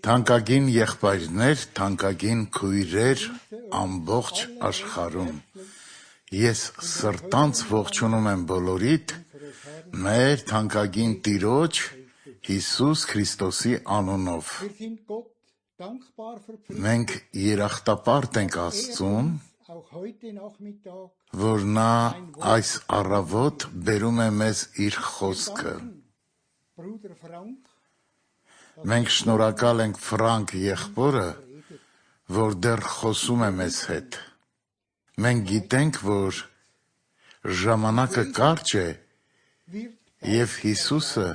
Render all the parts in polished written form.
Թանկագին եղբայրներ, թանկագին քույրեր ամբողջ աշխարհում, ես սրտանց ողջունում եմ բոլորիդ մեր թանկագին Տիրոջ Հիսուս Քրիստոսի անունով։ Մենք երախտապարտ ենք Աստծուն, որ նա այս առավոտ բերում է մեզ իր խոսքը։ Մենք շնորհակալ ենք Ֆրանկ եղբորը, որ դեռ խոսում է մեզ հետ։ Մենք գիտենք, որ ժամանակը կարճ է և Հիսուսը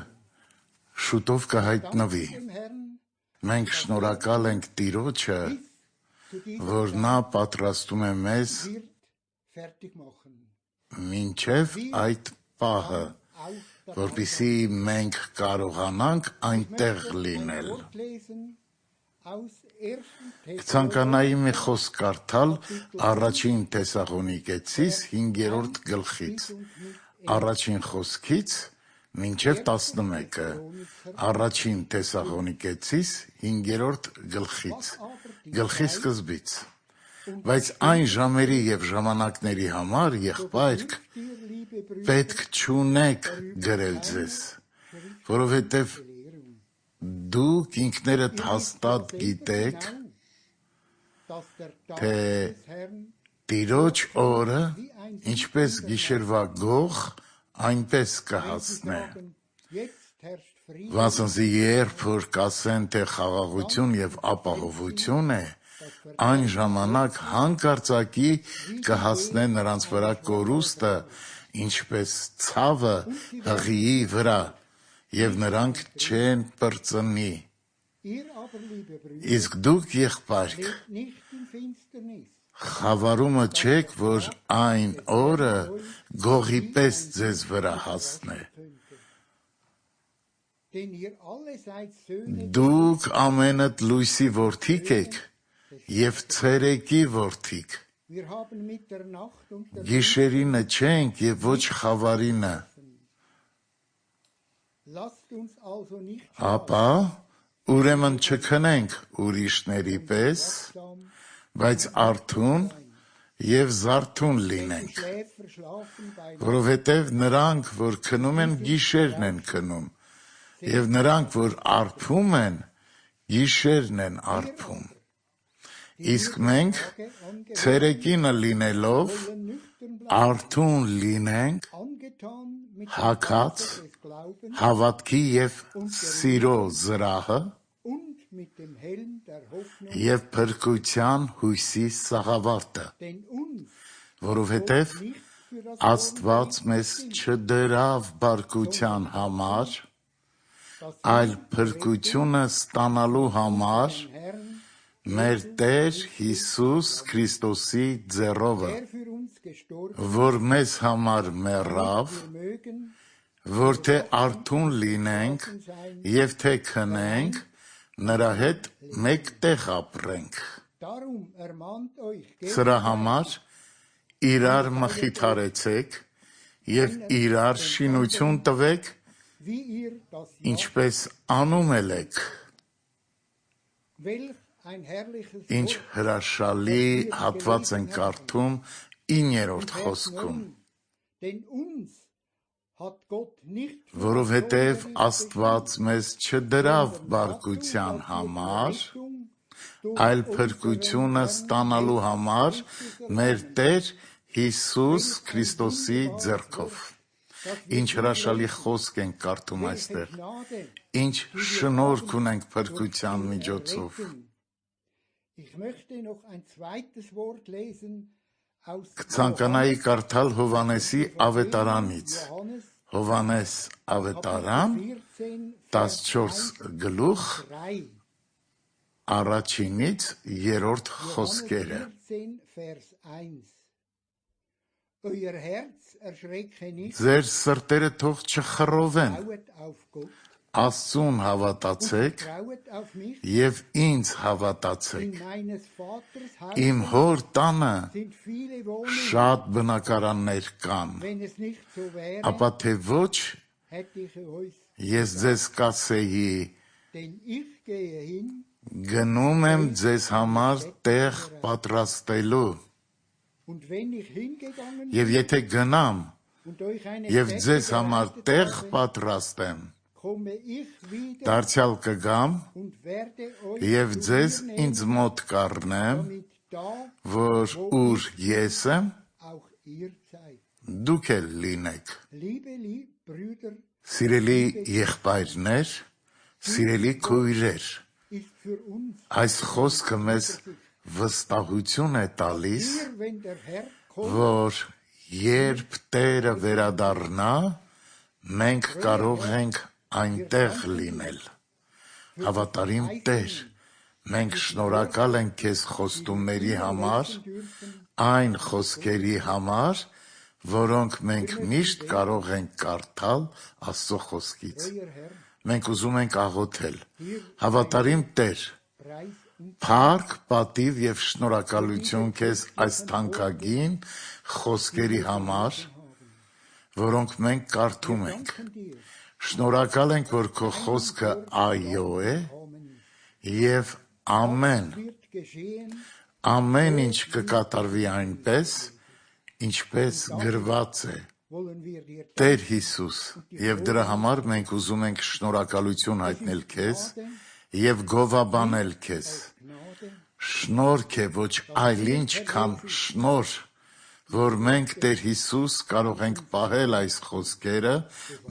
շուտով կհայտնվի։ Մենք շնորհակալ ենք Տիրոջը, որ նա պատրաստում է մեզ մինչև այդ պահը, որպեսզի մենք կարողանանք այնտեղ լինել։ Կցանկանայի մի խոսք կարդալ առաջին Թեսաղոնիկեցիս 5-րդ գլխից, առաջին խոսքից մինչև 11-ը, առաջին Թեսաղոնիկեցիս 5-րդ գլխի սկզբից։ Բայց այն ժամերի և ժամանակների համար, եղբայրք, պետք չունեք գրել ձեզ, որովհետև դուք ինքներդ հաստատ գիտեք, թե Տիրոջ օրը ինչպես գիշերվա գող, այնպես կհասնե։ Վասնզի երբ որ կասեն, թե խաղաղություն և ապահովություն է, այն ժամանակ հանկարծակի կհասնե նրանց վրա կորուստը, ինչպես ցավը հղիի վրա, և նրանք չեն պրծնի։ Իսկ դուք, եղբայրք, խավարումը չեք, որ այն օրը գողի պես ձեզ վրա հասնե։ Դուք ամենդ լույսի որդիք եք և ցերեկի որդիք։ Գիշերինը չենք և ոչ խավարինը։ Ապա ուրեմն չքնենք ուրիշների պես, բայց արթուն և զարթուն լինենք, որովհետև նրանք, որ քնում են, գիշերն են քնում, և նրանք, որ արբում են, գիշերն են արբում։ Իսկ մենք ցերեկինը լինելով արթուն լինենք, հագած հավատքի և սիրո զրահը և փրկության հույսի սաղավարտը, որովհետև Աստված մեզ չդրավ բարկության համար, այլ փրկությունը ստանալու համար մեր Տեր Հիսուս Քրիստոսի ձեռովը, որ մեզ համար մեռավ, որ թե արթուն լինենք և թե քնենք, նրա հետ մեկտեղ ապրենք։ Սրա համար իրար մխիթարեցեք և իրար շինություն տվեք, ինչպես անում էլ եք։ Ինչ հրաշալի հատված ենք կարդում 9-րդ խոսքում. որովհետև Աստված մեզ չդրավ բարկության համար, այլ փրկությունը ստանալու համար մեր Տեր Հիսուս Քրիստոսի ձեռքով։ Ինչ հրաշալի խոսք ենք կարդում այստեղ, ինչ շնորհք ունենք փրկության միջոցով։ Կցանկանայի կարդալ Հովհաննեսի ավետարանից, Հովհաննես ավետարան 14 գլուխ 1-ից 3 խոսքերը։ Ձեր սրտերը թող չխռովեն, Աստծուն հավատացեք և ինձ հավատացեք։ Իմ հոր տանը շատ բնակարաններ կան, ապա թե ոչ, ես ձեզ կասեի, Գնում եմ ձեզ համար տեղ պատրաստելու, եւ եթե գնամ եւ ձեզ համար տեղ պատրաստեմ, դարձյալ կգամ եւ ձեզ ինձ մոտ կառնեմ, որ ուր ես եմ, դուք էլ լինեք։ Սիրելի եղբայրներ, սիրելի քույրեր, այս խոսքը մեզ վստահություն է տալիս, որ երբ Տերը վերադառնա, մենք կարող ենք այնտեղ լինել։ Հավատարիմ Տեր, մենք շնորհակալ ենք քեզ խոստումների համար, այն խոսքերի համար, որոնք մենք միշտ կարող ենք կարդալ Աստծո խոսքից։ Մենք ուզում ենք աղոթել, հավատարիմ Տեր, փառք, պատիվ եւ շնորհակալություն քեզ այս թանկագին խոսքերի համար, որոնք մենք կարդում ենք։ Շնորհակալ ենք, որ քո խոսքը այո է եւ ամեն ինչ կկատարվի այնպես, ինչպես գրված է։ Տեր Հիսուս, եւ դրա համար մենք ուզում ենք շնորհակալություն հայտնել քեզ եւ գովաբանել քեզ։ Շնորհք է, ոչ այլ ինչ քան շնորհ, որ մենք Տեր Հիսուս կարող ենք պահել այս խոսքերը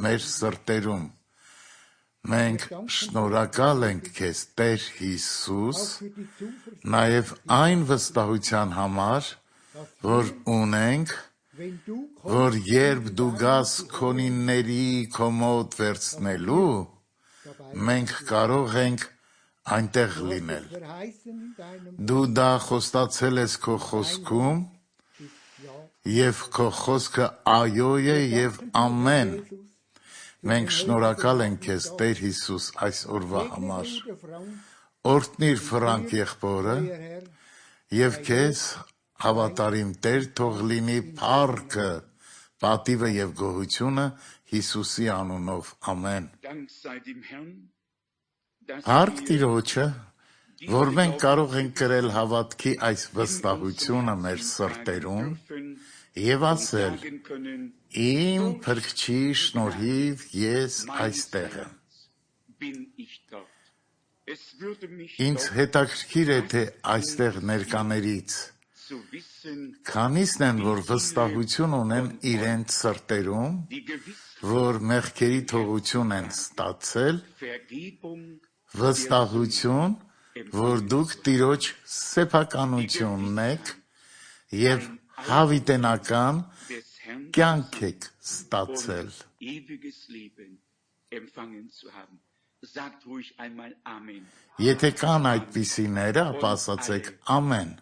մեր սրտերում։ Մենք շնորհակալ ենք քեզ, Տեր Հիսուս, նաեւ այն վստահության համար, որ ունենք, որ երբ դու գաս քոնինների քո մոտ վերցնելու, մենք կարող ենք այնտեղ լինել։ Դու դա խոստացել ես քո խոսքում, եւ քո խոսքը այո է եւ ամեն։ Մենք շնորհակալ ենք քեզ, Տեր Հիսուս, այս օրվա համար։ Օրհնիր Ֆրանկ եղբորը եւ քեզ, հավատարիմ Տեր, թող լինի փառքը, պատիվը եւ գոհությունը Հիսուսի անունով։ Ամեն։ Փառք Տիրոջը, որ մենք կարող ենք կրել հավատքի այս վստահությունը մեր սրտերում եւ ասել. Իմ Փրկչի շնորհիվ ես այստեղ եմ։ Ինձ հետաքրքիր է, թե այստեղ ներկաներից քանիսն են, որ վստահություն ունեն իրենց սրտերում, որ մեղքերի թողություն են ստացել, վստահություն, որ դուք Տիրոջ սեփականությունն եք եւ հավիտենական կյանք եք ստացել։ Եթե կան այդպիսիները, ապա ասացեք ամեն։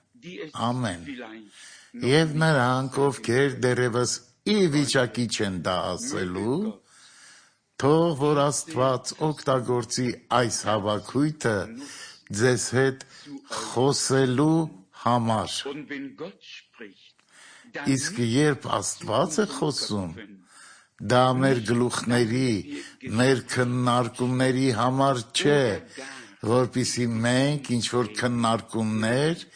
Ամեն։ Եվ նրանք, ովքեր դեռևս ի վիճակի չեն դա ասելու, թող որ Աստված օգտագործի այս հավաքույթը ձեզ հետ խոսելու համար։ Իսկ երբ Աստված է խոսում, դա մեր գլուխների, մեր քննարկումների համար չէ, որպեսզի մենք ինչ-որ քննարկումներ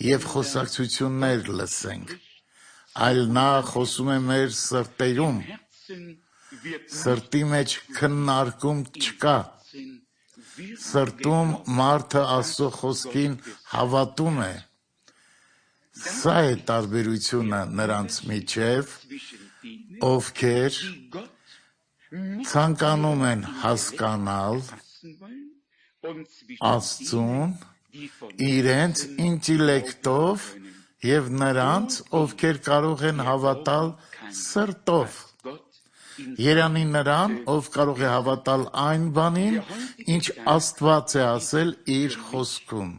եւ խոսակցություններ լսենք, այլ նա խոսում է մեր սրտերում։ Սրտի մեջ քննարկում չկա։ Սրտում մարդը Աստծո խոսքին հավատում է։ Սա է տարբերությունը նրանց միջև, ովքեր ցանկանում են հասկանալ Աստծուն իրենց ինտելեկտով եւ նրանց, ովքեր կարող են հավատալ սրտով։ Երանի նրան, ով կարող է հավատալ այն բանին, ինչ Աստված է ասել իր խոսքում։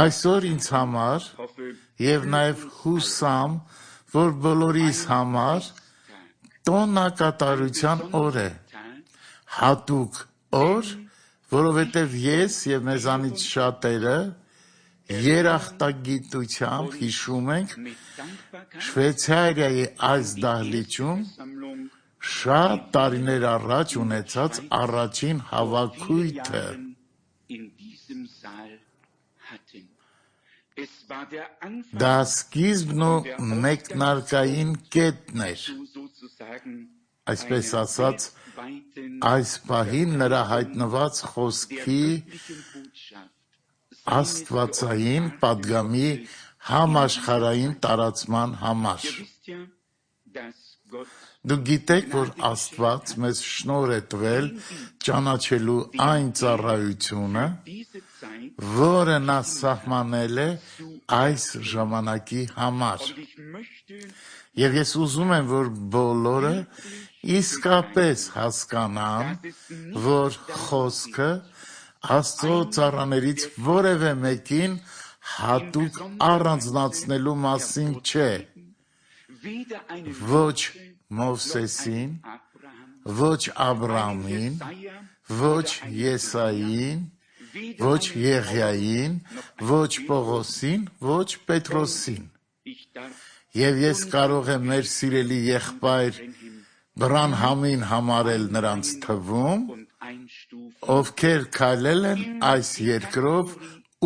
Այսօր ինձ համար եւ նաեւ հուսամ, որ բոլորիս համար տոնակատարության օր է, հատուկ օր, որովհետև ես եւ մեզանից շատերը երախտագիտությամբ հիշում ենք Շվեյցարիայի այս դահլիճում շատ տարիներ առաջ ունեցած առաջին հավաքույթը։ Դա սկիզբն ու մեկնարկային կետն էր։ Այսպես ասած, այս պահին նրա հայտնված խոսքի աստվածային պատգամի համաշխարհային տարածման համար։ Դուք գիտեք, որ Աստված մեզ շնորհ է տվել ճանաչելու այն ծառայությունը, որը նա սահմանել է այս ժամանակի համար։ Եվ ես ուզում եմ, որ բոլորը իսկապես հասկանան, որ խոսքը Աստծո ծառաներից որևէ մեկին հատուկ առանձնացնելու մասին չէ։ Ոչ Մովսեսին, ոչ Աբրամին, ոչ Եսային, ոչ Եղիային, ոչ Պողոսին, ոչ Պետրոսին։ Եվ ես կարող եմ մեր սիրելի եղբայր Բրանհամին համարել նրանց թվում, ովքեր քայլել են այս երկրով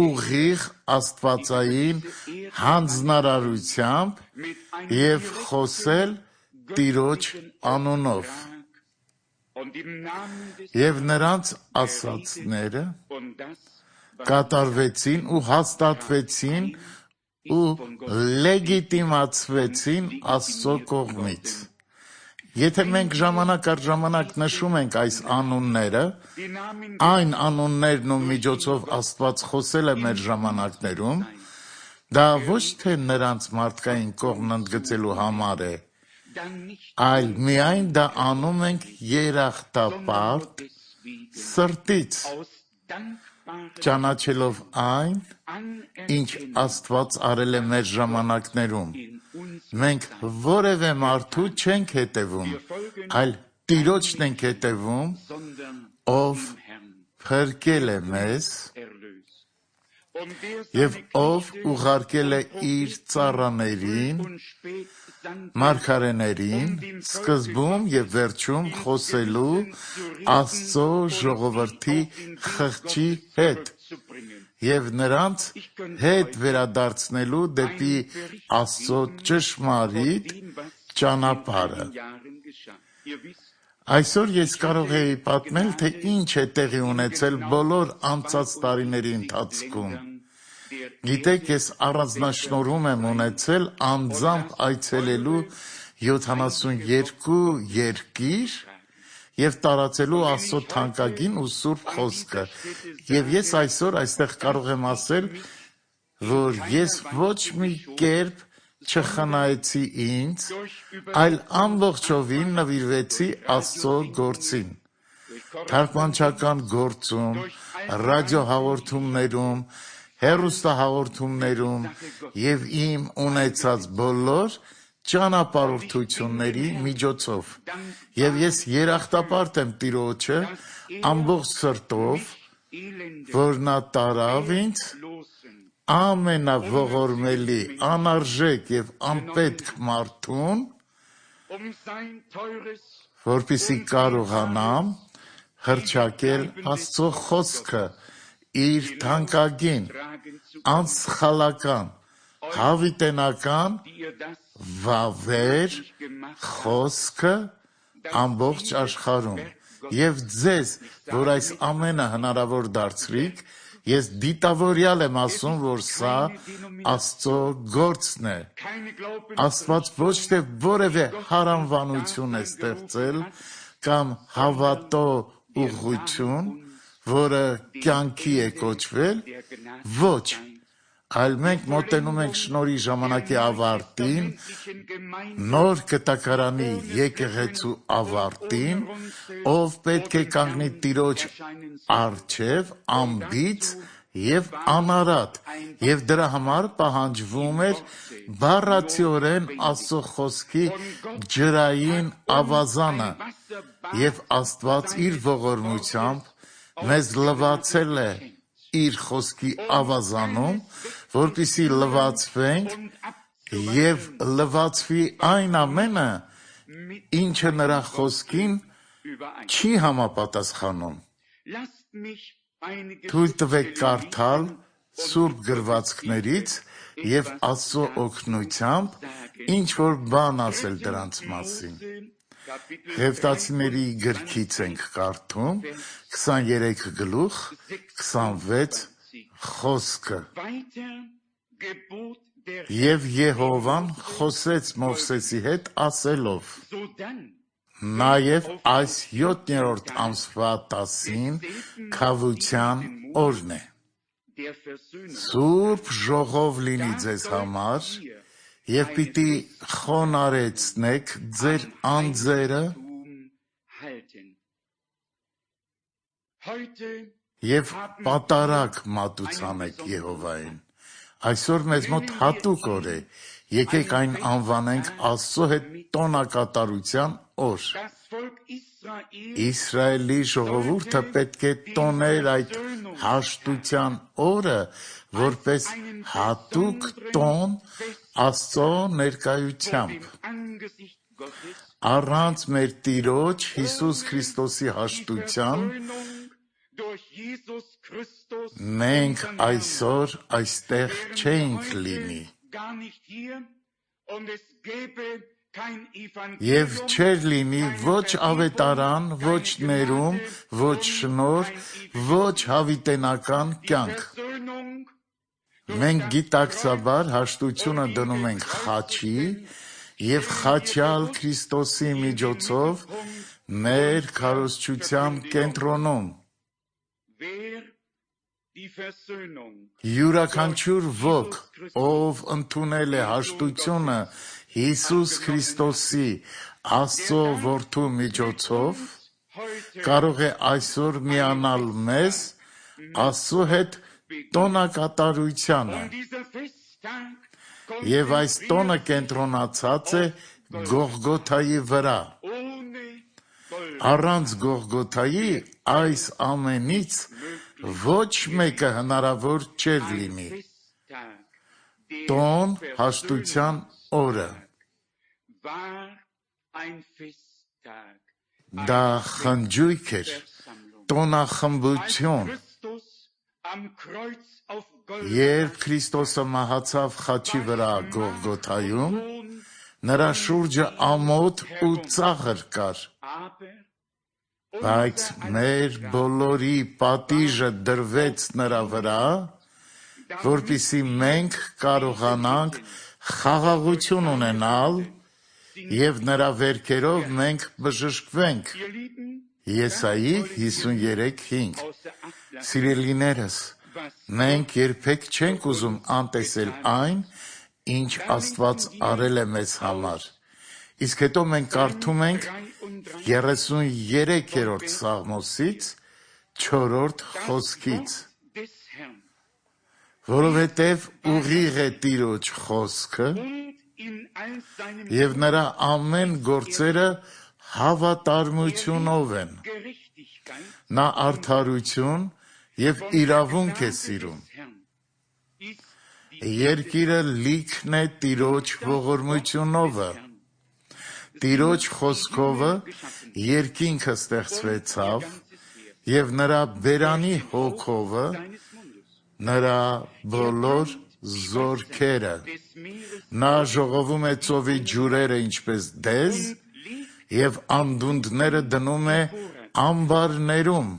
ուղիղ աստվածային հանձնարարությամբ եւ խոսել Տիրոջ անունով։ Եվ նրանց ասածները կատարվեցին ու հաստատվեցին ու լեգիտիմացվեցին Աստծո կողմից։ Եթե մենք ժամանակ առ ժամանակ նշում ենք այս անունները, այն անուններն ու միջոցով Աստված խոսել է մեր ժամանակներում, դա ոչ թե նրանց մարդկային կողմն ընդգծելու համար է, այլ միայն դա անում ենք երախտապարտ սրտից, ճանաչելով այն, ինչ Աստված արել է մեր ժամանակներում։ Մենք որևէ մարդու չենք հետևում, այլ Տիրոջն ենք հետևում, ով փրկել է մեզ եւ ով ուղարկել է իր ծառաներին, մարգարեներին, սկզբում եւ վերջում խոսելու Աստծո ժողովրդի խղճի հետ եւ նրանց հետ վերադարձնելու դեպի Աստծո ճշմարիտ ճանապարհը։ Այսօր ես կարող էի պատմել, թե ինչ է տեղի ունեցել բոլոր անցած տարիների ընթացքում։ Գիտեք, ես առանձնաշնորհում եմ ունեցել անձամբ այցելելու 72 երկիր եւ տարածելու Աստծո թանկագին ու սուրբ խոսքը։ Եվ ես այսօր այստեղ կարող եմ ասել, որ ես ոչ մի կերպ չխնայեցի ինձ, այլ ամբողջովին նվիրվեցի Աստծո գործին։ Թարգմանչական գործում, ռադիոհաղորդումներում, հեռուստահաղորդումներում եւ իմ ունեցած բոլոր ճանապարհորդությունների միջոցով։ Եվ ես երախտապարտ եմ Տիրոջը ամբողջ սրտով, որ նա տարավ ինձ ամենաողորմելի, անարժեք եւ անպետք մարդուն, որպեսզի կարողանամ հռչակել Աստծո խոսքը, իր թանկագին, անսխալական, հավիտենական, վավեր խոսքը ամբողջ աշխարհում։ Եվ ձեզ, որ այս ամենը հնարավոր դարձրիք, ես դիտավորյալ եմ ասում, որ սա Աստծո գործն է։ Աստված ոչ թե որևէ հարանվանություն է ստեղծել կամ հավատո ուղղություն, որը կյանքի է կոչվել, ոչ, այլ մենք մոտենում ենք շնորհի ժամանակի ավարտին, նոր կտակարանի եկեղեցու ավարտին, ով պետք է կանգնի Տիրոջ առջև անբիծ եւ անարատ, եւ դրա համար պահանջվում էր բառացիորեն Աստծո խոսքի ջրային ավազանը, եւ Աստված իր ողորմությամբ մեզ լվացել է իր խոսքի ավազանում, որպեսզի լվացվենք եւ լվացվի այն ամենը, ինչը նրա խոսքին չի համապատասխանում։ Թույլ տվեք կարդալ Սուրբ գրվածքներից և Աստծո օգնությամբ ինչ-որ բան ասել դրանց մասին։ Ղևտացիների գրքից ենք կարդում 23 գլուխ 26 խոսքը։ Եվ Եհովան խոսեց Մովսեսի հետ ասելով. Նաև այս 7-րդ ամսվա 10-ին քավության օրն է։ Սուրբ ժողով լինի ձեզ համար, և պիտի խոնարհեցնեք ձեր անձերը և պատարագ մատուցանեք Եհովային։ Այսօր մեզ մոտ հատուկ օր է, եկեք այն անվանենք Աստծո հետ տոնակատարության օր։ Իսրայելի ժողովուրդը պետք է տոներ այդ հաշտության օրը որպես հատուկ տոն Աստծո ներկայությամբ։ Առանց մեր Տիրոջ Հիսուս Քրիստոսի հաշտության մենք այսօր այստեղ չէինք լինի։ Եվ չէր լինի ոչ ավետարան, ոչ ներում, ոչ շնորհ, ոչ հավիտենական կյանք։ Մենք գիտակցաբար հաշտությունը դնում ենք խաչի և խաչյալ Քրիստոսի միջոցով մեր քարոզչության կենտրոնում։ Յուրաքանչյուր ոք, ով ընդունել է հաշտությունը Հիսուս Քրիստոսի Աստծո Որդու միջոցով, կարող է այսօր միանալ մեզ Աստծո հետ տոնակատարությանը։ Եվ այս տոնը կենտրոնացած է Գողգոթայի վրա։ Առանց Գողգոթայի այս ամենից ոչ մեկը հնարավոր չէր լինի։ Տոն հաշտության օրը։ Դա խնջույք էր, տոնախմբություն։ Երբ Քրիստոսը մահացավ խաչի վրա Գողգոթայում, նրա շուրջը ամոթ ու ծաղր կար։ Բայց մեր բոլորի պատիժը դրվեց նրա վրա, որպեսզի մենք կարողանանք խաղաղություն ունենալ և նրա վերքերով մենք բժշկվենք։ Եսայի 53:5։ Սիրելիներս, մենք երբեք չենք ուզում անտեսել այն, ինչ Աստված արել է մեզ համար։ Իսկ հետո մենք կարդում ենք 33-րդ Սաղմոսից 4-րդ խոսքից. Որովհետև ուղիղ է Տիրոջ խոսքը, և նրա ամեն գործերը հավատարմությունով են։ Նա արդարություն և իրավունք է սիրում։ Երկիրը լիքն է Տիրոջ ողորմությունովը։ Տիրոջ խոսքովը երկինքը ստեղծվեցավ, և նրա բերանի հոգովը նրա բոլոր զորքերը։ Նա ժողովում է ծովի ջուրերը ինչպես դեզ, և անդունդները դնում է ամբարներում։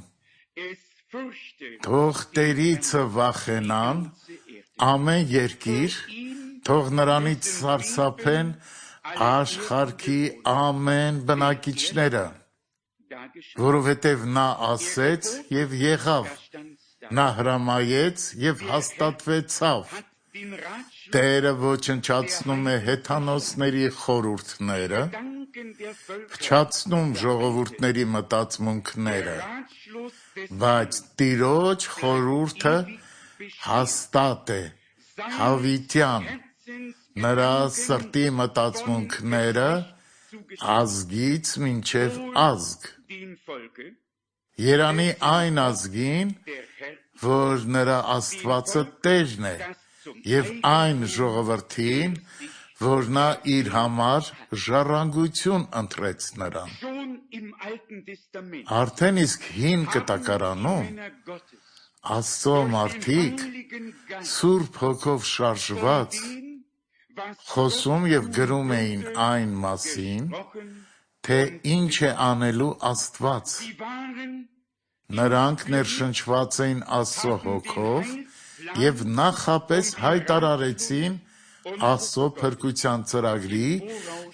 Թող Տերիցը վախենան ամեն երկիր, թող նրանից սարսափեն աշխարհի ամեն բնակիչները։ Որովհետև նա ասեց և եղավ, նա հրամայեց և հաստատվեցավ։ Տերը ոչնչացնում է հեթանոսների խորհուրդները, փչացնում ժողովուրդների մտածմունքները, բայց Տիրոջ խորհուրդը հաստատ է, հավիտյան, նրա սրտի մտածմունքները ազգից մինչև ազգ։ Երանի այն ազգին, որ նրա Աստվածը Տերն է, և այն ժողովրդին, որ նա իր համար ժառանգություն ընտրեց նրան։ Արդեն իսկ հին կտակարանում Աստծո մարդիկ Սուրբ Հոգով շարժված խոսում եւ գրում էին այն մասին, թե ինչ է անելու Աստված։ Նրանք ներշնչված էին Աստծո Հոգով եւ նախապես հայտարարեցին Աստծո փրկության ծրագրի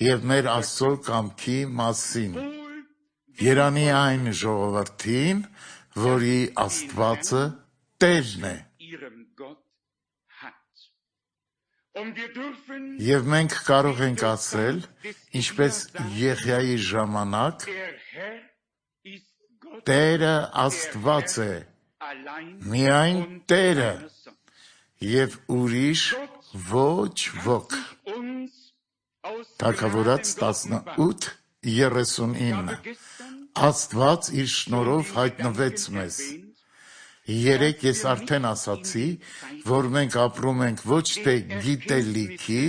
եւ մեր Աստծո կամքի մասին։ Երանի այն ժողովրդին, որի Աստվածը Տերն է։ Եվ մենք կարող ենք ասել, ինչպես Եղիայի ժամանակ, Տերը Աստված է, միայն Տերը, եւ ուրիշ ոչ ոք։ Թագավորաց 18:39 Աստված իր շնորհով հայտնվեց մեզ։ Երեկ ես արդեն ասացի, որ մենք ապրում ենք ոչ թե գիտելիքի,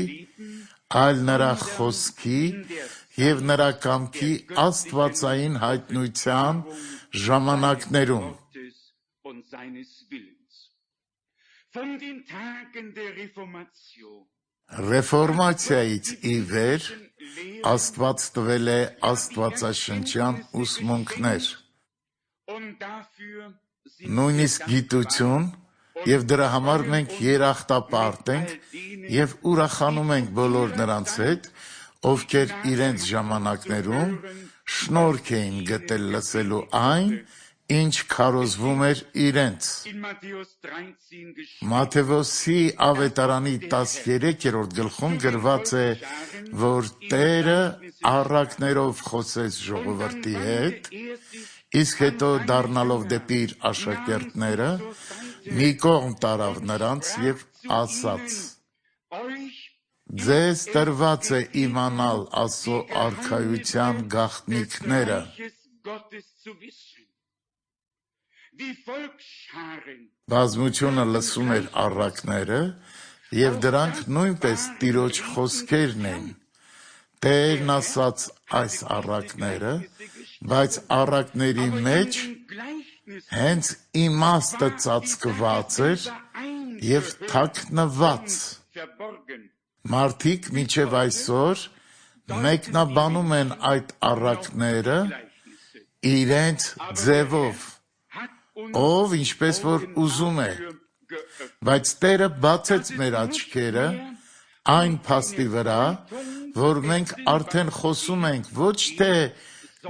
այլ նրա խոսքի եւ նրա կամքի աստվածային հայտնության ժամանակներում։ Ռեֆորմացիայից ի վեր Աստված տվել է աստվածաշնչյան ուսմունքներ, նույնիսկ գիտություն, եւ դրա համար մենք երախտապարտ ենք եւ ուրախանում ենք բոլոր նրանց հետ, ովքեր իրենց ժամանակներում շնորհք էին գտել լսելու այն, ինչ քարոզվում էր իրենց։ Մատթեոսի ավետարանի 13-րդ գլխում գրված է, որ Տերը առակներով խոսեց ժողովրդի հետ, իսկ հետո դառնալով դեպի իր աշակերտները, մի կողմ տարավ նրանց եւ ասաց. Ձեզ տրված է իմանալ Աստծո արքայության գաղտնիքները։ Բազմությունը լսում էր առակները, եւ դրանք նույնպես Տիրոջ խոսքերն էին։ Տերն ասաց այս առակները, բայց առակների մեջ հենց իմաստը ծածկված էր եւ թաքնված։ Մարդիկ մինչև այսօր մեկնաբանում են այդ առակները իրենց ձևով, ով ինչպես որ ուզում է, բայց Տերը բացեց մեր աչքերը այն փաստի վրա, որ մենք արդեն խոսում ենք ոչ թե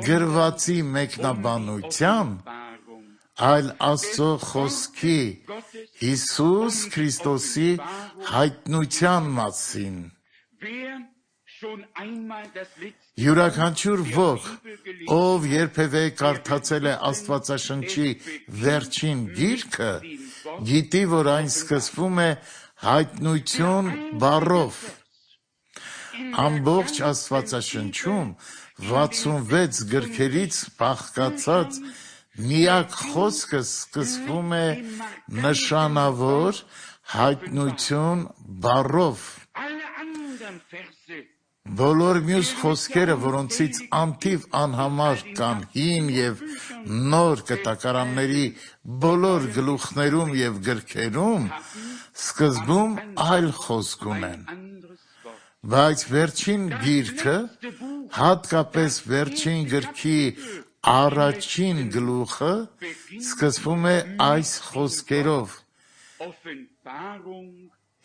գրվածի մեկնաբանությամբ, այլ Աստծո խոսքի Հիսուս Քրիստոսի հայտնության մասին։ Յուրաքանչյուր ոք, ով երբևէ կարդացել է Աստվածաշնչի վերջին գիրքը, գիտի, որ այն սկսվում է հայտնություն բառով։ Ամբողջ Աստվածաշնչում 66 գրքերից բաղկացած միակ խոսքը սկսվում է նշանավոր հայտնություն բառով։ Բոլոր մյուս խոսքերը, որոնցից անթիվ անհամար կան հին եւ նոր կտակարանների բոլոր գլուխներում եւ գրքերում, սկզբում այլ խոսք ունեն։ Բայց վերջին գիրքը, հատկապես վերջին գրքի առաջին գլուխը, սկսվում է այս խոսքերով.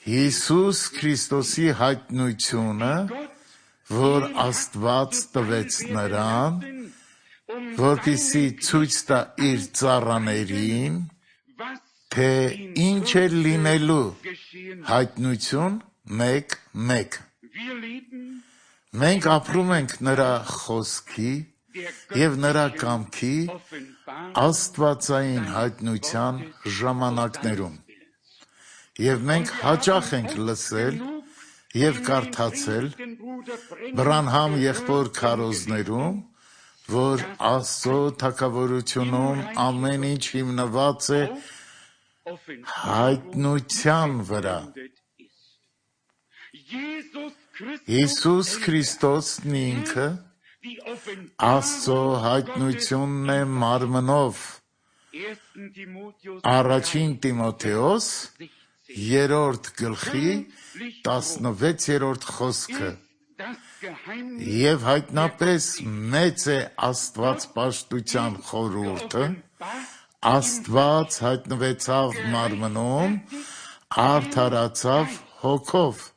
Հիսուս Քրիստոսի հայտնությունը, որ Աստված տվեց նրան, որպեսզի ցույց տա իր ծառաներին, թե ինչ է լինելու, հայտնություն 1:1։ Մենք ապրում ենք նրա խոսքի եւ նրա կամքի աստվածային հայտնության ժամանակներում։ Եվ մենք հաճախ ենք լսել եւ կարդացել Բրանհամ եղբոր քարոզներում, որ Աստծո թագավորությունում ամեն ինչ հիմնված է հայտնության վրա։ Հիսուս Քրիստոսն ինքը Աստծո հայտնությունն է մարմնով։ Առաջին Տիմոթեոս 3-րդ գլխի 16-րդ խոսքը։ Եվ հայտնապես մեծ է Աստված պաշտության խորհուրդը, Աստված հայտնվեցավ մարմնում, արդարացավ հոգով,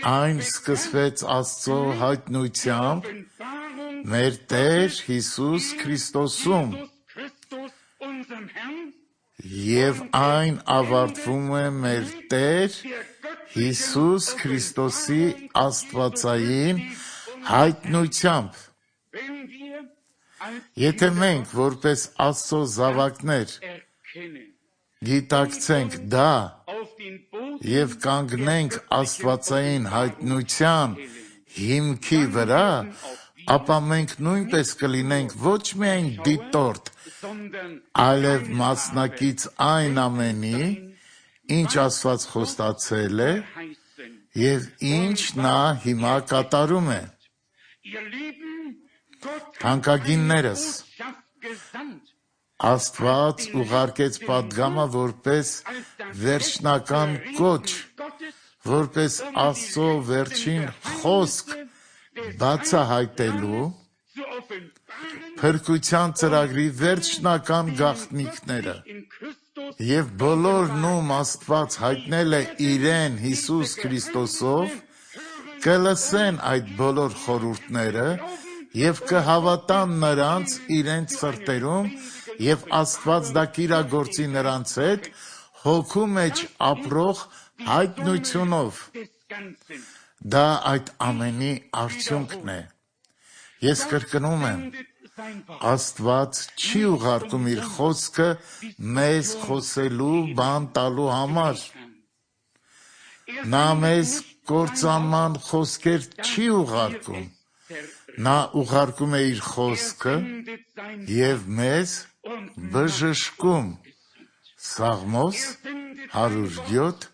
այն սկսվեց Աստծո հայտնությամբ մեր Տեր Հիսուս Քրիստոսում, և այն ավարտվում է մեր Տեր Հիսուս Քրիստոսի աստվածային հայտնությամբ։ Եթե մենք որպես Աստծո զավակներ գիտակցենք դա և կանգնենք աստվածային հայտնության հիմքի վրա, ապա մենք նույնպես կլինենք ոչ միայն դիտորդ, այլև մասնակից այն ամենի, ինչ Աստված խոստացել է և ինչ նա հիմա կատարում է։ Թանկագիններս, Աստված ուղարկեց պատգամը որպես վերջնական կոչ, որպես Աստծո վերջին խոսք բացահայտելու փրկության ծրագրի վերջնական գաղտնիքները, և բոլոր նում Աստված հայտնել է իրեն Հիսուս Քրիստոսով, կլսեն այդ բոլոր խորհուրդները և կհավատան նրանց իրենց սրտերում և Աստված դա կիրագործի նրանց հետ հոգու մեջ ապրող հայտնությունով։ Դա այդ ամենի արդյունքն է։ Ես կրկնում եմ, Աստված չի ուղարկում իր խոսքը մեզ խոսելու բան տալու համար։ Նա մեզ կործանման խոսքեր չի ուղարկում, նա ուղարկում է իր խոսքը և մեզ բժշկում։ Սաղմոս 107:20։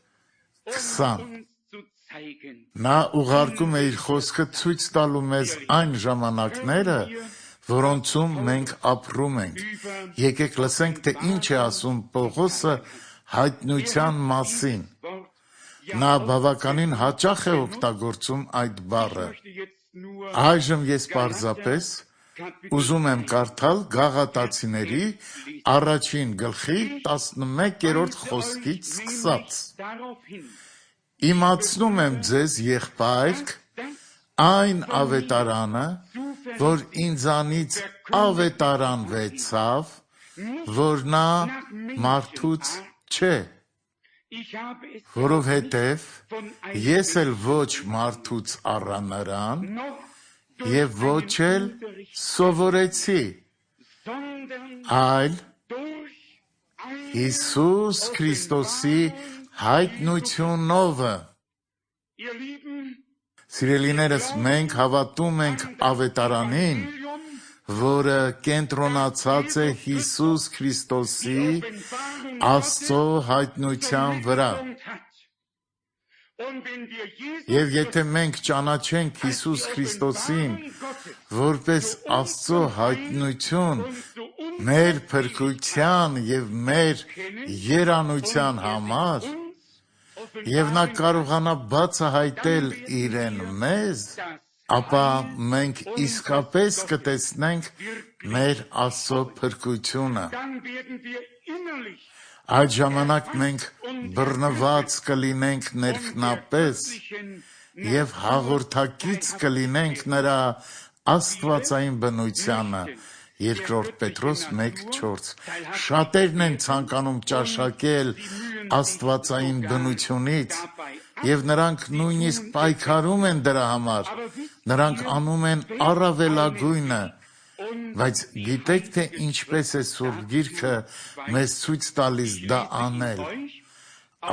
Նա ուղարկում է իր խոսքը ցույց տալու մեզ այն ժամանակները, որոնցում մենք ապրում ենք։ Եկեք լսենք, թե ինչ է ասում Պողոսը հայտնության մասին։ Նա բավականին հաճախ է օգտագործում այդ բառը։ Այժմ ես պարզապես ուզում եմ կարդալ Գաղատացիների 1 գլխի 11-րդ խոսքից սկսած. «Իմացնում եմ ձեզ, եղբայրք, այն ավետարանը, որ ինձանից ավետարանվեցավ, որ նա մարդուց չէ, որովհետև ես էլ ոչ մարդուց առա նրան և ոչ էլ սովորեցի, այլ Հիսուս Քրիստոսի հայտնությունովը»։ Սիրելիներս, մենք հավատում ենք ավետարանին, որը կենտրոնացած է Հիսուս Քրիստոսի Աստծո հայտնության վրա։ Եվ եթե մենք ճանաչենք Հիսուս Քրիստոսին որպես Աստծո հայտնություն մեր փրկության և մեր երանության համար, և նա կարողանա բացահայտել իրեն մեզ, ապա մենք իսկապես կտեսնենք մեր Աստծո փրկությունը։ Այդ ժամանակ մենք բռնված կլինենք ներքնապես և հաղորդակից կլինենք նրա աստվածային բնությանը։ 2 Պետրոս 1:4։ Շատերն են ցանկանում ճաշակել աստվածային բնությունից, և նրանք նույնիսկ պայքարում են դրա համար, նրանք անում են առավելագույնը, բայց գիտեք, թե ինչպես է Սուրբ Գիրքը մեզ ցույց տալիս դա անել։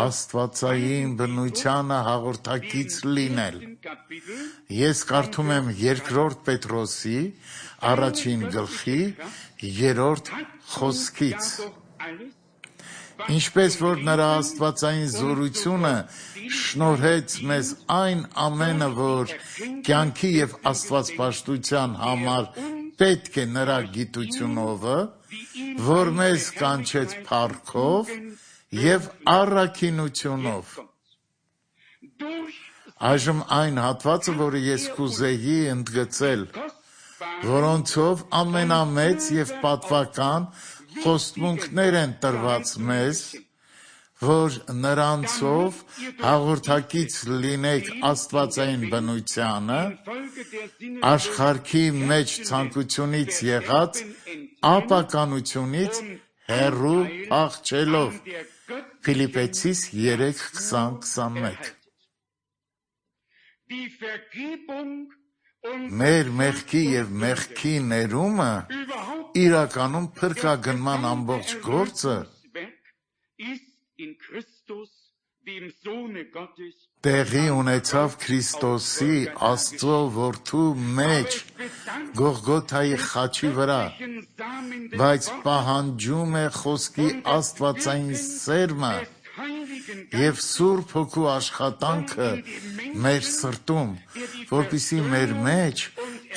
Աստվածային բնությանը հաղորդակից լինել։ Ես կարդում եմ 2 Պետրոսի 1 գլխի 3-րդ խոսքից. Ինչպես որ նրա աստվածային զորությունը շնորհեց մեզ այն ամենը, որ կյանքի և աստվածպաշտության համար պետք է նրա գիտությունովը, որ մեզ կանչեց փառքով և առաքինությունով։ Այժմ այն հատվածը, որը ես կուզեի ընդգծել, որոնցով ամենամեծ և պատվական խոստմունքներ են տրված մեզ, որ նրանցով հաղորդակից լինեք աստվածային բնությանը, աշխարհի մեջ ցանկությունից եղած ապականությունից հեռու փախչելով։ Փիլիպպեցիս 3:20-21։ Մեր մեղքի և մեղքի ներումը իրականում փրկագնման ամբողջ գործը տեղի ունեցավ Քրիստոսի Աստծո Որդու մեջ Գողգոթայի խաչի վրա, բայց պահանջում է խոսքի աստվածային սերմը և Սուրբ Հոգու աշխատանքը մեր սրտում, որպեսզի մեր մեջ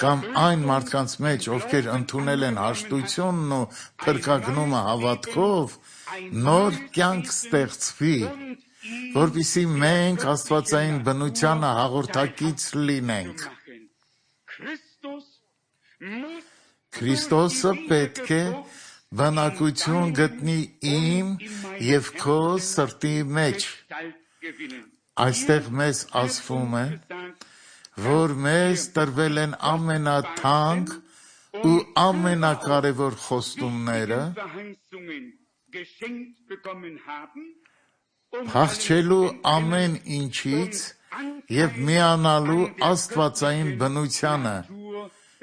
կամ այն մարդկանց մեջ, ովքեր ընդունել են հաշտությունն ու փրկագնումը հավատքով, նոր կյանք ստեղծվի, որպեսզի մենք աստվածային բնությանը հաղորդակից լինենք։ Քրիստոսը պետք է բնակություն գտնի իմ և քո սրտի մեջ։ Այստեղ մեզ ասվում է, որ մեզ տրվել են ամենաթանկ ու ամենակարևոր խոստումները, փախչելու ամեն ինչից և միանալու աստվածային բնությանը,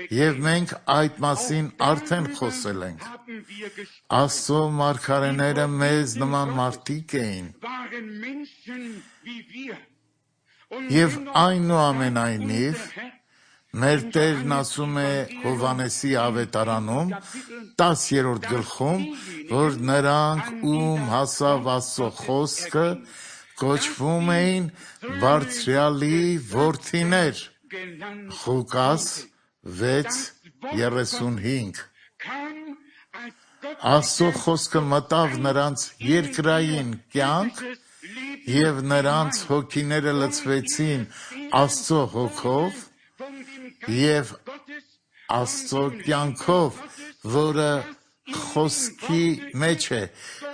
և մենք այդ մասին արդեն խոսել ենք։ Աստծո մարգարեները մեզ նման մարդիկ էին, և այնուամենայնիվ մեր Տերն ասում է Հովհաննեսի ավետարանում 10-րդ գլխում, որ նրանք, ում հասավ Աստծո խոսքը, կոչվում էին Բարձրյալի որդիներ։ Ղուկաս 6:35։ Աստծո խոսքը մտավ նրանց երկրային կյանք, և նրանց հոգիները լցվեցին Աստծո Հոգով և Աստծո կյանքով, որը խոսքի մեջ է,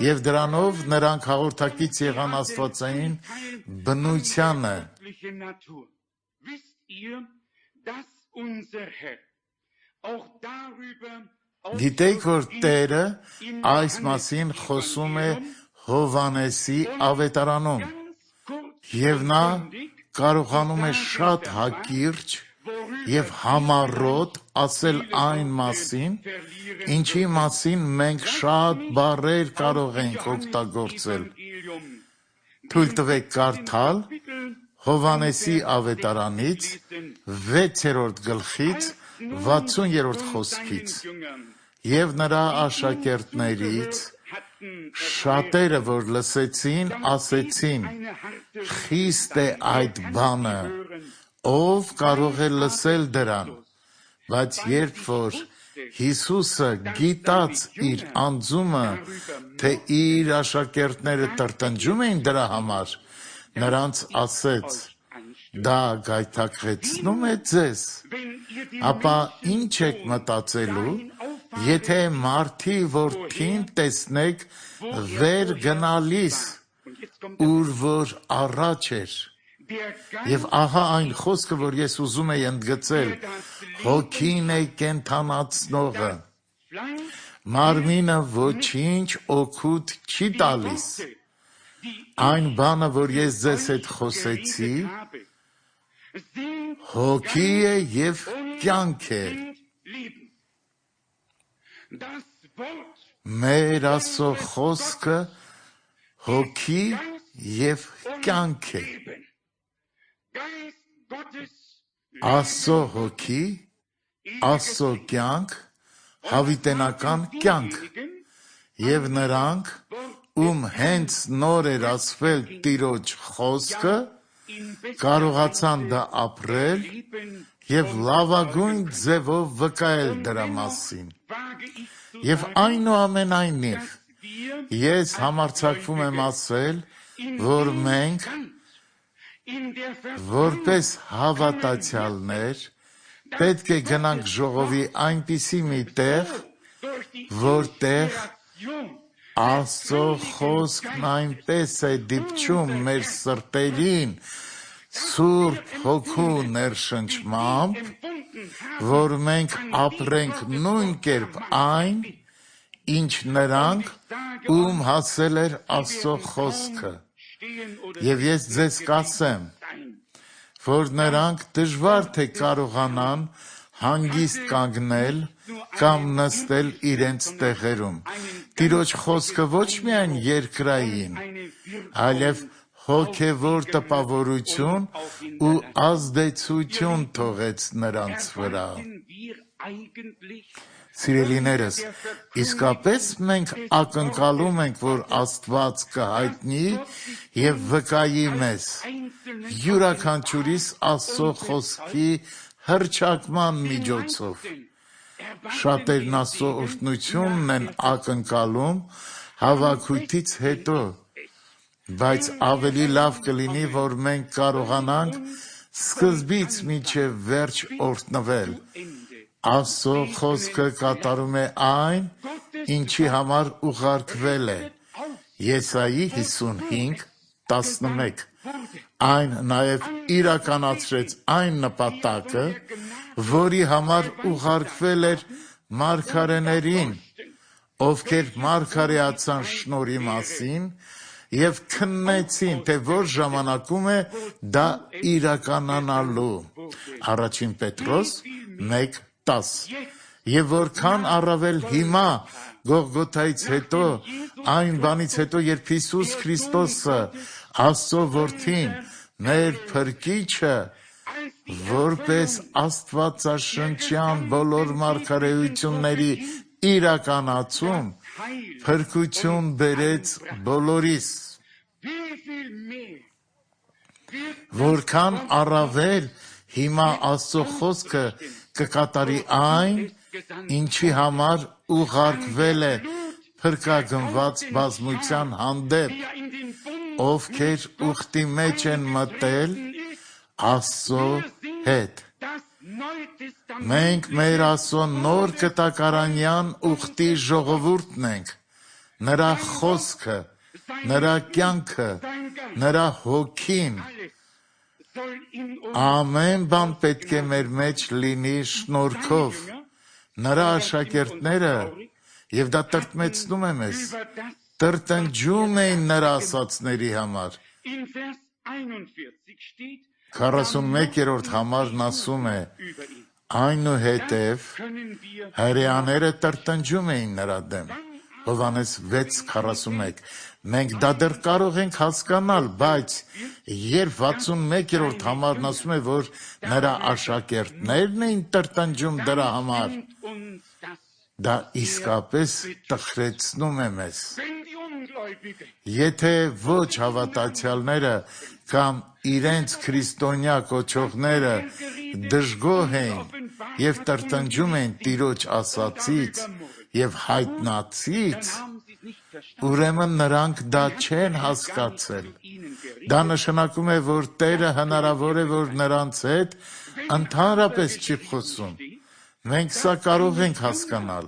և դրանով նրանք հաղորդակից եղան աստվածային բնությանը։ Գիտեք, որ Տերը այս մասին խոսում է Հովհաննեսի ավետարանում, և նա կարողանում է շատ հակիրճ և համառոտ ասել այն մասին, ինչի մասին մենք շատ բառեր կարող ենք օգտագործել։ Թույլ տվեք կարդալ Հովհաննեսի ավետարանից 6-րդ գլխից 60-րդ խոսքից. «Եվ նրա աշակերտներից շատերը, որ լսեցին, ասեցին. խիստ է այդ բանը, ով կարող է լսել դրան։ Բայց երբ որ Հիսուսը գիտած իր անձումը, թե իր աշակերտները տրտնջում էին դրա համար, նրանց ասեց. դա գայթակղեցնո՞ւմ է ձեզ։ Ապա ի՞նչ եք մտածելու, եթե մարդի որդին տեսնեք վեր գնալիս, ուր որ առաջ էր։ Եվ ահա այն խոսքը, որ ես ուզում եի ընդգծել, հոգին է կենդանացնողը։ Մարմինը ոչինչ օգուտ չի տալիս։ Այն բանը, որ ես ձեզ հետ խոսեցի, հոգի է և կյանք է։ Մեր Աստծո խոսքը հոգի և կյանք է։ Աստծո հոգի, Աստծո կյանք, հավիտենական կյանք, և նրանք, ում հենց նոր էր ասվել Տիրոջ խոսքը, կարողացան դա ապրել և լավագույն ձևով վկայել դրա մասին։ Եվ այնուամենայնիվ, ես համարձակվում եմ ասել, որ մենք, որպես հավատացյալներ, պետք է գնանք ժողովի այնպիսի մի տեղ, որտեղ Աստծո խոսքն այնպես է դիպչում մեր սրտերին Սուրբ Հոգու ներշնչմամբ, որ մենք ապրենք նույն կերպ այն, ինչ նրանք, ում հասել էր Աստծո խոսքը։ Եվ ես ձեզ կասեմ, որ նրանք դժվար թե կարողանան հանգիստ կանգնել կամ նստել իրենց տեղերում։ Տիրոջ խոսքը ոչ միայն երկրային, այլև հոգևոր տպավորություն ու ազդեցություն թողեց նրանց վրա։ Սիրելիներս, իսկապես մենք ակնկալում ենք, որ Աստված կհայտնի և վկայի մեզ յուրաքանչյուրիս Աստծո խոսքի հռչակման միջոցով։ Շատերն Աստծո օրհնությունն են ակնկալում հավաքույթից հետո, բայց ավելի լավ կլինի, որ մենք կարողանանք սկզբից մինչև վերջ օրհնվել։ Աստծո խոսքը կատարում է այն, ինչի համար ուղարկվել է։ Եսայի 55:11։ Այն նաև իրականացրեց այն նպատակը, որի համար ուղարկվել էր մարգարեներին, ովքեր մարգարեացան շնորհի մասին և քննեցին, թե որ ժամանակում է դա իրականանալու։ Առաջին Պետրոս 1:10։ Եվ որքան առավել հիմա, Գողգոթայից հետո, այն բանից հետո, երբ Հիսուս Քրիստոսը, Աստծո Որդին, մեր Փրկիչը, որպես աստվածաշնչյան բոլոր մարգարեությունների իրականացում, փրկություն բերեց բոլորիս։ Որքան առավել հիմա Աստծո խոսքը կկատարի այն, ինչի համար ուղարկվել է փրկագնված բազմության հանդեպ, ովքեր ուխտի մեջ են մտել Աստծո հետ։ Մենք մեր Աստծո նոր կտակարանյան ուխտի ժողովուրդն ենք, նրա խոսքը, նրա կյանքը, նրա հոգին։ Ամեն բան պետք է մեր մեջ լինի շնորհքով։ Նրա աշակերտները, և դա տրտմեցնում է մեզ, տրտնջում էին նրա ասածների համար։ 41-րդ համարն ասում է. այնուհետև հրեաները տրտնջում էին նրա դեմ։ Հովհաննես 6:41։ Մենք դա դեռ կարող ենք հասկանալ, բայց երբ 61-րդ համարն ասում է, որ նրա աշակերտներն էին տրտնջում դրա համար, դա իսկապես տխրեցնում է մեզ։ Եթե ոչ հավատացյալները կամ իրենց քրիստոնյա կոչողները դժգոհ էին և տրտնջում էին Տիրոջ ասածից և հայտնածից, ուրեմն նրանք դա չեն հասկացել։ Դա նշանակում է, որ Տերը հնարավոր է, որ նրանց հետ ընդհանրապես չի խոսում։ Մենք սա կարող ենք հասկանալ,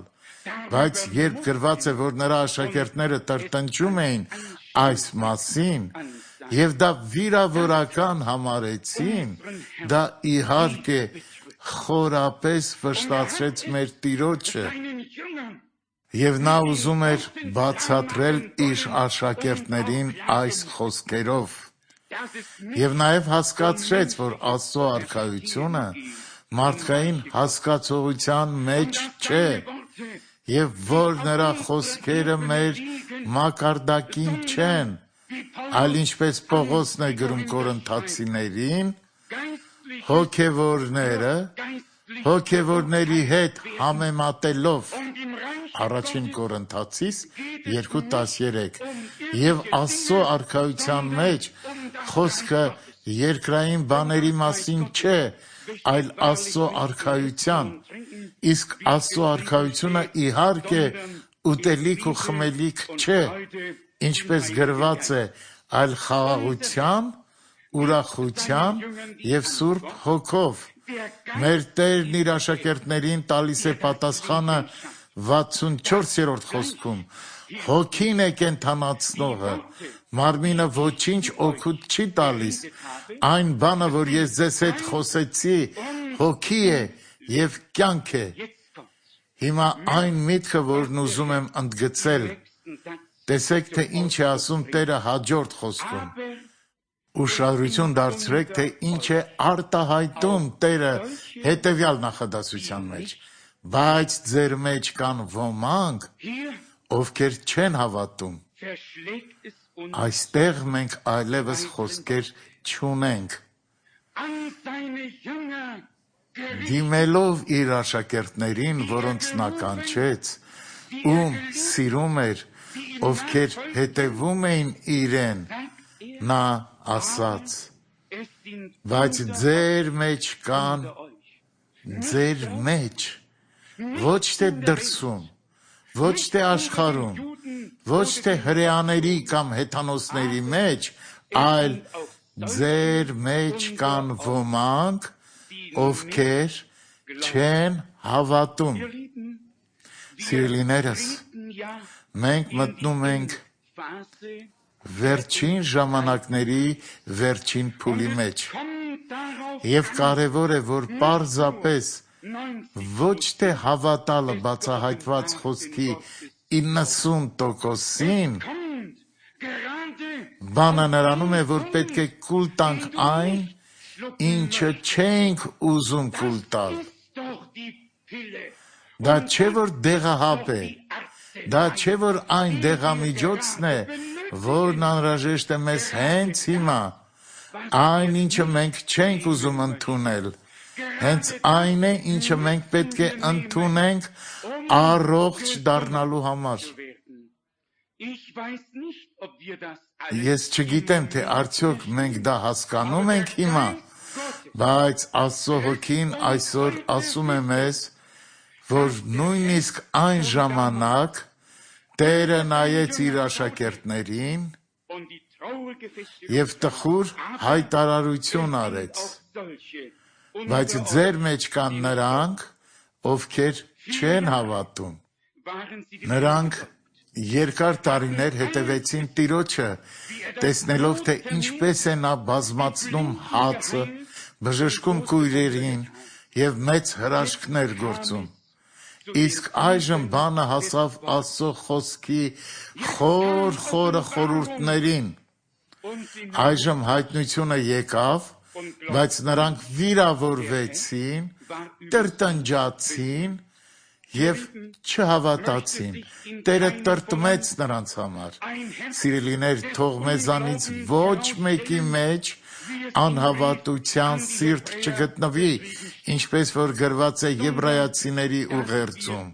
բայց երբ գրված է, որ նրա աշակերտները տրտնջում էին այս մասին և դա վիրավորական համարեցին, դա իհարկե խորապես վշտացրեց մեր Տիրոջը, և նա ուզում էր բացատրել իր աշակերտներին այս խոսքերով։ Եվ նաև հասկացրեց, որ Աստծո արքայությունը մարդկային հասկացողության մեջ չէ, և որ նրա խոսքերը մեր մակարդակին չեն, այլ ինչպես Պողոսն է գրում Կորինթացիներին, հոգևորները հոգևորների հետ համեմատելով, առաջին Կորինթացիս 2:13, Եվ Աստծո արքայության մեջ խոսքը երկրային բաների մասին չէ, այլ Աստծո արքայության, իսկ Աստծո արքայությունը իհարկե ուտելիք ու խմելիք չէ, ինչպես գրված է, այլ խաղաղության, ուրախության և Սուրբ Հոգով։ Մեր Տերն իր աշակերտներին տալիս է պատասխանը 64-րդ խոսքում. Հոգին է կենդանացնողը, մարմինը ոչինչ օգուտ չի տալիս, այն բանը, որ ես ձեզ հետ խոսեցի, հոգի է և կյանք է։ Հիմա այն միտքը, որն ուզում եմ ընդգծել, տեսեք, թե ինչ է ասում Տերը հաջորդ խոսքում։ Ուշադրություն դարձրեք, թե ինչ է արտահայտում Տերը հետևյալ նախադասության մեջ. բայց ձեր մեջ կան ոմանք, ովքեր չեն հավատում։ Այստեղ մենք այլևս խոսքեր չունենք։ Դիմելով իր աշակերտներին, որոնց նա կանչեց, ում սիրում էր, ովքեր հետևում էին իրեն, նա ասաց. բայց ձեր մեջ կան, ձեր մեջ, ոչ թե դրսում, ոչ թե աշխարհում, ոչ թե հրեաների կամ հեթանոսների մեջ, այլ ձեր մեջ կան ոմանք, ովքեր չեն հավատում։ Սիրելիներս, մենք մտնում ենք վերջին ժամանակների վերջին փուլի մեջ։ Եվ կարևոր է, որ պարզապես ոչ թե հավատալը բացահայտված խոսքի 90%-ին, բանը նրանում է, որ պետք է կուլ տանք այն, ինչը չենք ուզում կուլ տալ։ Դա չէ, որ դեղահապ է, դա չէ, որ այն դեղամիջոցն է, որն անհրաժեշտ է մեզ հենց հիմա, այն, ինչը մենք չենք ուզում ընդունել, հենց այն է, ինչը մենք պետք է ընդունենք առողջ դառնալու համար։ Ես չգիտեմ, թե արդյոք մենք դա հասկանում ենք հիմա, բայց Աստծո Հոգին այսօր ասում է մեզ, որ նույնիսկ այն ժամանակ Տերը նայեց իր աշակերտներին և տխուր հայտարարություն արեց. բայց ձեր մեջ կան նրանք, ովքեր չեն հավատում։ Նրանք երկար տարիներ հետևեցին Տիրոջը, տեսնելով, թե ինչպես է նա բազմացնում հացը, բժշկում կույրերին և մեծ հրաշքներ գործում։ Իսկ այժմ բանը հասավ Աստծո խոսքի խորը խորհուրդներին։ Այժմ հայտնությունը եկավ, բայց նրանք վիրավորվեցին, տրտնջացին և չհավատացին։ Տերը տրտմեց նրանց համար։ Սիրելիներ, թող մեզանից ոչ մեկի մեջ անհավատության սիրտ չգտնվի, ինչպես որ գրված է Եբրայացիների ուղերձում,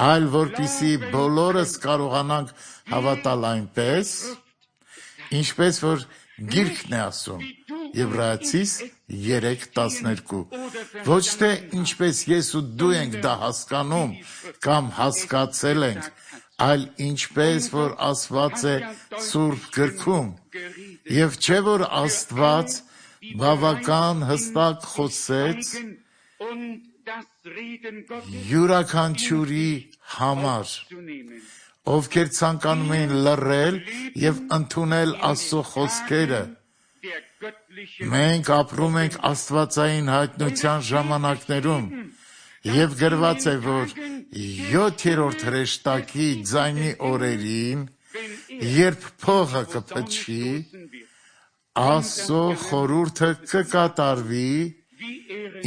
այլ որպեսզի բոլորս կարողանանք հավատալ այնպես, ինչպես որ Գիրքն է ասում, Եբրայացիս 3:12, ոչ թե ինչպես ես ու դու ենք դա հասկանում կամ հասկացել ենք, այլ ինչպես որ ասված է Սուրբ Գրքում, և չէ որ Աստված բավական հստակ խոսեց յուրաքանչյուրի համար, ովքեր ցանկանում էին լռել և ընդունել Աստծո խոսքերը։ Մենք ապրում ենք աստվածային հայտնության ժամանակներում, և գրված է, որ 7-րդ հրեշտակի ձայնի օրերին, երբ փողը կփչի, Աստծո խորհուրդը կկատարվի,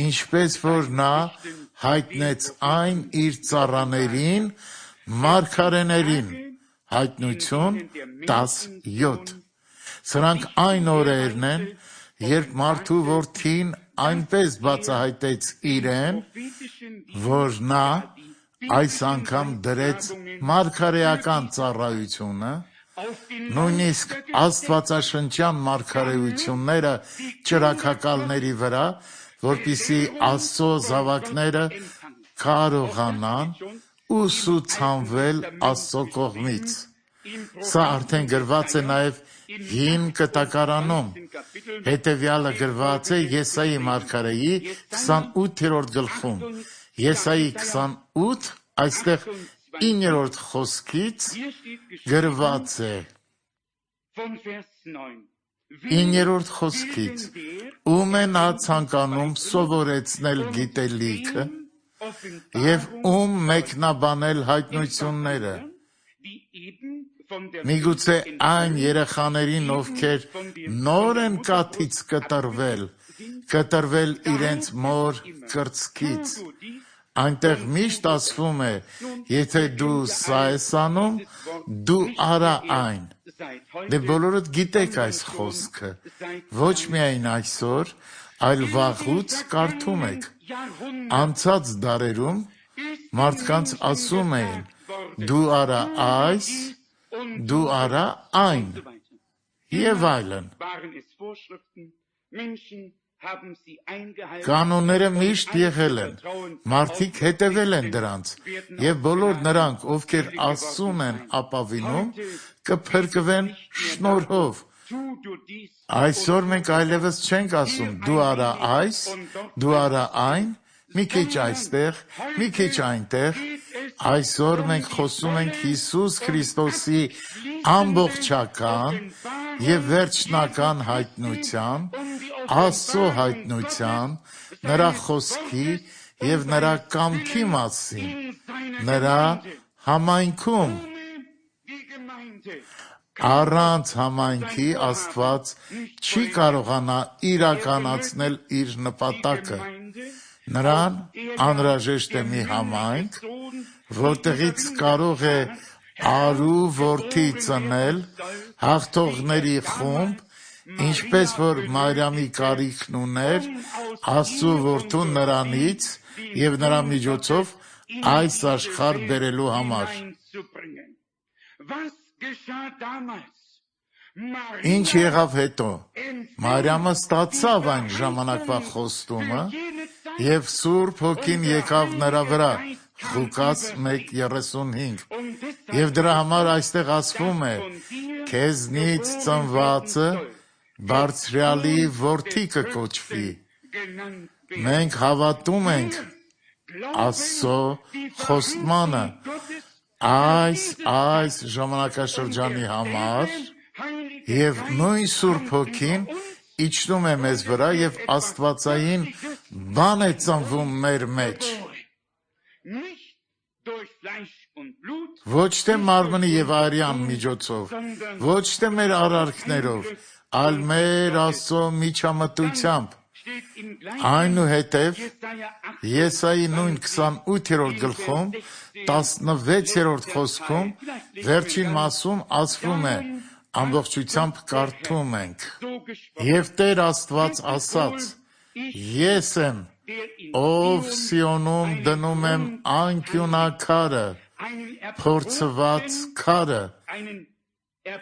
ինչպես որ նա հայտնեց այն իր ծառաներին, մարգարեներին, Հայտնություն 10:7։ Սրանք այն օրերն են, երբ մարդու որդին այնպես բացահայտեց իրեն, որ նա այս անգամ դրեց մարգարեական ծառայությունը, Նույնիսկ աստվածաշնչյան մարգարեությունները ճրագակալների վրա, որպիսի Աստծո զավակները կարողանան ուսուցանվել Աստծո կողմից։ Սա արդեն գրված է նաև Հին Կտակարանում, հետևյալը գրված է Եսայի մարգարեի 28-րդ գլխում։ Եսայի 28, այստեղ 9-րդ խոսքից գրված է 9-րդ խոսքից. ում է նա ցանկանում սովորեցնել գիտելիքը և ում մեկնաբանել հայտնությունները, միգուցե այն երեխաներին, ովքեր նոր են կաթից կտրվել իրենց մոր կրծքից։ Այնտեղ միշտ ասվում է, եթե դու սա ես անում, դու արա այն։ Դե բոլորդ գիտեք այս խոսքը, ոչ միայն այսօր, այլ վաղուց կարդում եք։ Անցած դարերում մարդկանց ասում էին, դու արա այս, դու արա այն, և այլն։ Կանոնները միշտ եղել են, մարդիկ հետևել են դրանց, և բոլոր նրանք, ովքեր Աստծուն են ապավինում, կփրկվեն շնորհով։ Այսօր մենք այլևս չենք ասում, դու արա այս, դու արա այն, մի քիչ այստեղ, մի քիչ այնտեղ։ Այսօր մենք խոսում ենք Հիսուս Քրիստոսի ամբողջական և վերջնական հայտնության, Աստծո հայտնության, նրա խոսքի և նրա կամքի մասին, նրա համայնքում։ Առանց համայնքի Աստված չի կարողանա իրականացնել իր նպատակը։ Նրան անհրաժեշտ է մի համայնք, որտեղից կարող է արու որդի ծնել, հաղթողների խումբ, ինչպես որ Մարիամի կարիքն ուներ Աստծու որդուն նրանից և նրա միջոցով այս աշխարհ բերելու համար։ Ինչ եղավ հետո։ Մարիամը ստացավ այն ժամանակվա խոստումը, և Սուրբ Հոգին եկավ նրա վրա, Ղուկաս 1:35, և դրա համար այստեղ ասվում է. քեզնից ծնվածը Բարձրյալի որդի կկոչվի։ Մենք հավատում ենք Աստծո խոստմանը այս ժամանակաշրջանի համար, և նույն Սուրբ Հոգին իջնում է մեզ վրա և աստվածային բան է ծնվում մեր մեջ։ Ոչ թե մարմնի և արյան միջոցով, ոչ թե մեր արարքներով, այլ մեր Աստծո միջամտությամբ։ Այնուհետև Եսայի նույն 28-րդ գլխում 16-րդ խոսքում վերջին մասում ասվում է, ամբողջությամբ կարդում ենք. և Տեր Աստված ասաց. ես եմ, ով Սիոնում դնում եմ անկյունաքարը, փորձված քարը,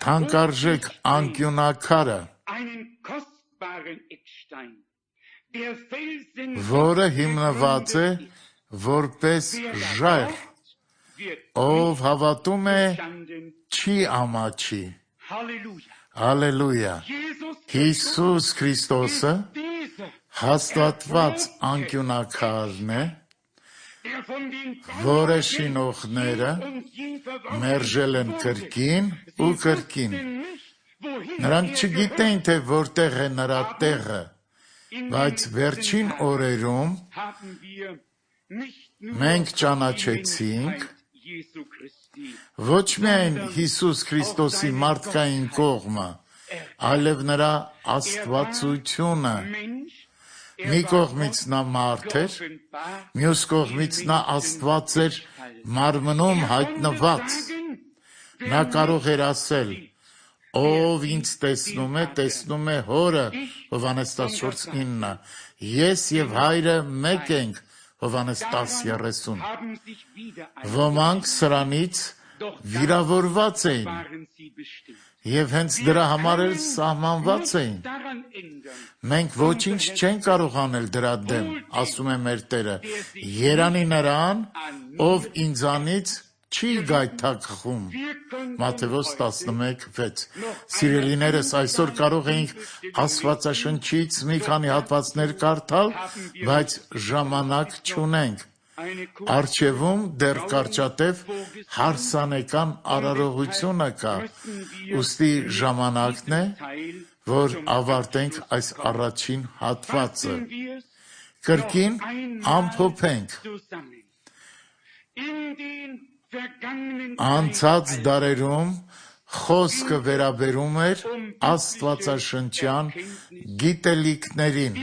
թանկարժեք անկյունաքարը, որը հիմնված է որպես ժայռ, ով հավատում է, չի ամաչի։ Հալելույա։ Հիսուս Քրիստոսը հաստատված անկյունաքարն է, որը շինողները մերժել են կրկին ու կրկին։ Նրանք չգիտեն, թե որտեղ է նրա տեղը, բայց վերջին օրերում մենք ճանաչեցինք ոչ միայն Հիսուս Քրիստոսի մարդկային կողմը, այլև նրա աստվածությունը։ Մի կողմից նա մարդ էր, մյուս կողմից նա Աստված էր մարմնում հայտնված։ Նա կարող էր ասել. ով ինձ տեսնում է, տեսնում է Հորը, Հովհաննես 14:9, ես և Հայրը մեկ ենք, Հովհաննես 10:30։ Ոմանք սրանից վիրավորված էին և հենց դրա համար էլ սահմանված էին։ Մենք ոչինչ չենք կարող անել դրա դեմ, ասում է մեր Տերը, երանի նրան, ով ինձանից չի գայթակղում։ Մատթեոս 11:6։ Սիրելիներս, այսօր կարող էինք Աստվածաշնչից մի քանի հատվածներ կարդալ, բայց ժամանակ չունենք։ Առջևում դեռ կարճատև հարսանեկան արարողությունը կա, ուստի ժամանակն է, որ ավարտենք այս առաջին հատվածը։ Կրկին ամփոփենք։ Անցած դարերում խոսքը վերաբերում էր աստվածաշնչյան գիտելիքներին։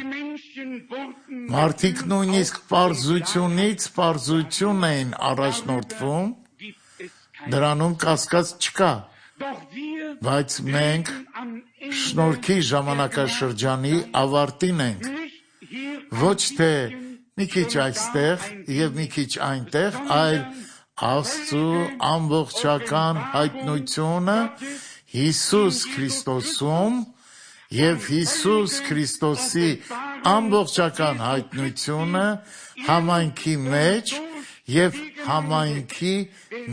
Մարդիկ նույնիսկ պարզությունից պարզություն էին առաջնորդվում, դրանում կասկած չկա, բայց մենք շնորհքի ժամանակաշրջանի ավարտին ենք, ոչ թե մի քիչ այստեղ և մի քիչ այնտեղ, այլ Աստծու ամբողջական հայտնությունը Հիսուս Քրիստոսում և Հիսուս Քրիստոսի ամբողջական հայտնությունը համայնքի մեջ և համայնքի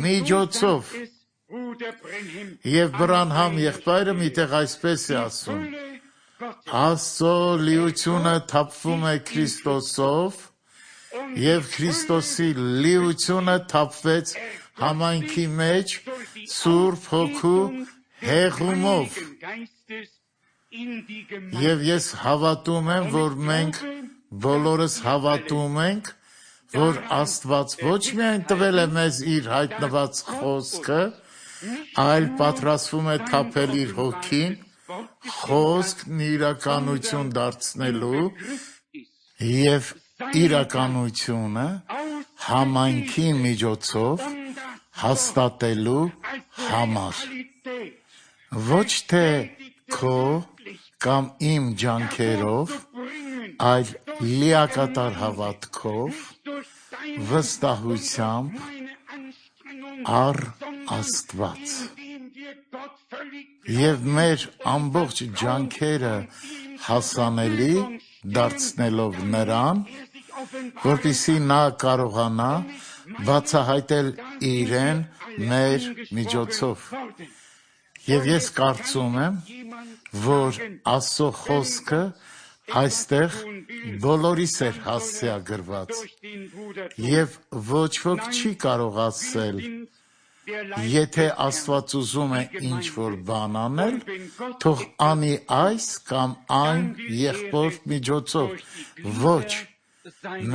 միջոցով։ Եվ Բրանհամ եղբայրը միտեղ այսպես է ասում. Աստծո լիությունը թափվում է Քրիստոսով, և Քրիստոսի լիությունը թափվեց համայնքի մեջ Սուրբ Հոգու հեղումով։ Եվ ես հավատում եմ, որ մենք բոլորս հավատում ենք, որ Աստված ոչ միայն տվել է մեզ իր հայտնված խոսքը, այլ պատրաստվում է թափել իր Հոգին, խոսքն իրականություն դարձնելու և իրականությունը համայնքի միջոցով հաստատելու համար։ Ոչ թե քո կամ իմ ջանքերով, այլ լիակատար հավատքով, վստահությամբ առ Աստված։ Եվ մեր ամբողջ ջանքերը հասանելի դարձնելով նրան, որպեսզի նա կարողանա բացահայտել իրեն մեր միջոցով։ Եվ ես կարծում եմ, որ Աստծո խոսքը այստեղ բոլորիս էր հասցեագրված, և ոչ ոք չի կարող ասել, եթե Աստված ուզում է ինչ-որ բան անել, թող անի այս կամ այն եղբոր միջոցով։ Ոչ,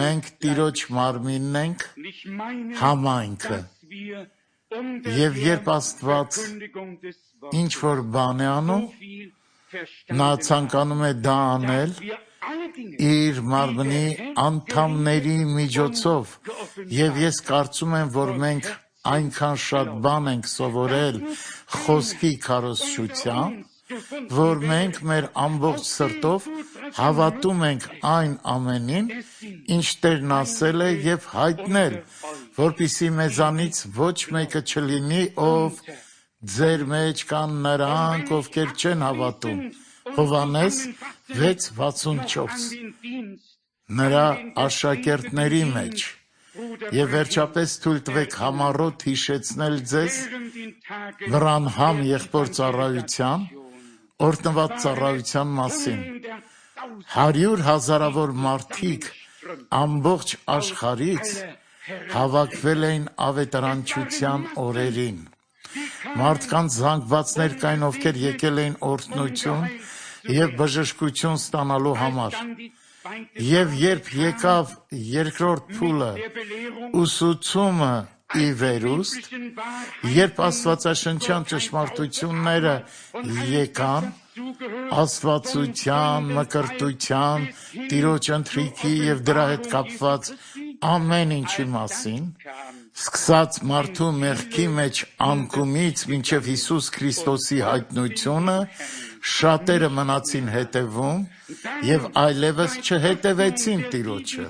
մենք Տիրոջ մարմինն ենք, համայնքը, և երբ Աստված ինչ-որ բան է անում, նա ցանկանում է դա անել իր մարմնի անդամների միջոցով, և ես կարծում եմ, որ մենք այնքան շատ բան ենք սովորել խոսքի քարոզչությամբ, որ մենք մեր ամբողջ սրտով հավատում ենք այն ամենին, ինչ Տերն ասել է և հայտնել, որպեսզի մեզանից ոչ մեկը չլինի, ով ձեր մեջ կան նրանք, ովքեր չեն հավատում։ Հովհաննես 6:64 նրա աշակերտների մեջ։ Եվ վերջապես թույլ տվեք համառոտ հիշեցնել ձեզ Վրանհամ եղբոր ծառայության, օրհնված ծառայության մասին։ 100,000-ավոր մարդիկ ամբողջ աշխարհից հավաքվել էին ավետարանչության օրերին։ Մարդկանց զանգվածներ կային, ովքեր եկել էին օրհնություն և բժշկություն ստանալու համար։ Եվ երբ եկավ երկրորդ փուլը, ուսուցումը ի վերուստ, երբ աստվածաշնչյան ճշմարտությունները եկան, աստվածության, մկրտության, Տիրոջ ընթրիքի և դրա հետ կապված ամեն ինչի մասին, սկսած մարդու մեղքի մեջ անկումից մինչև Հիսուս Քրիստոսի հայտնությունը, շատերը մնացին հետևում և այլևս չհետևեցին Տիրոջը։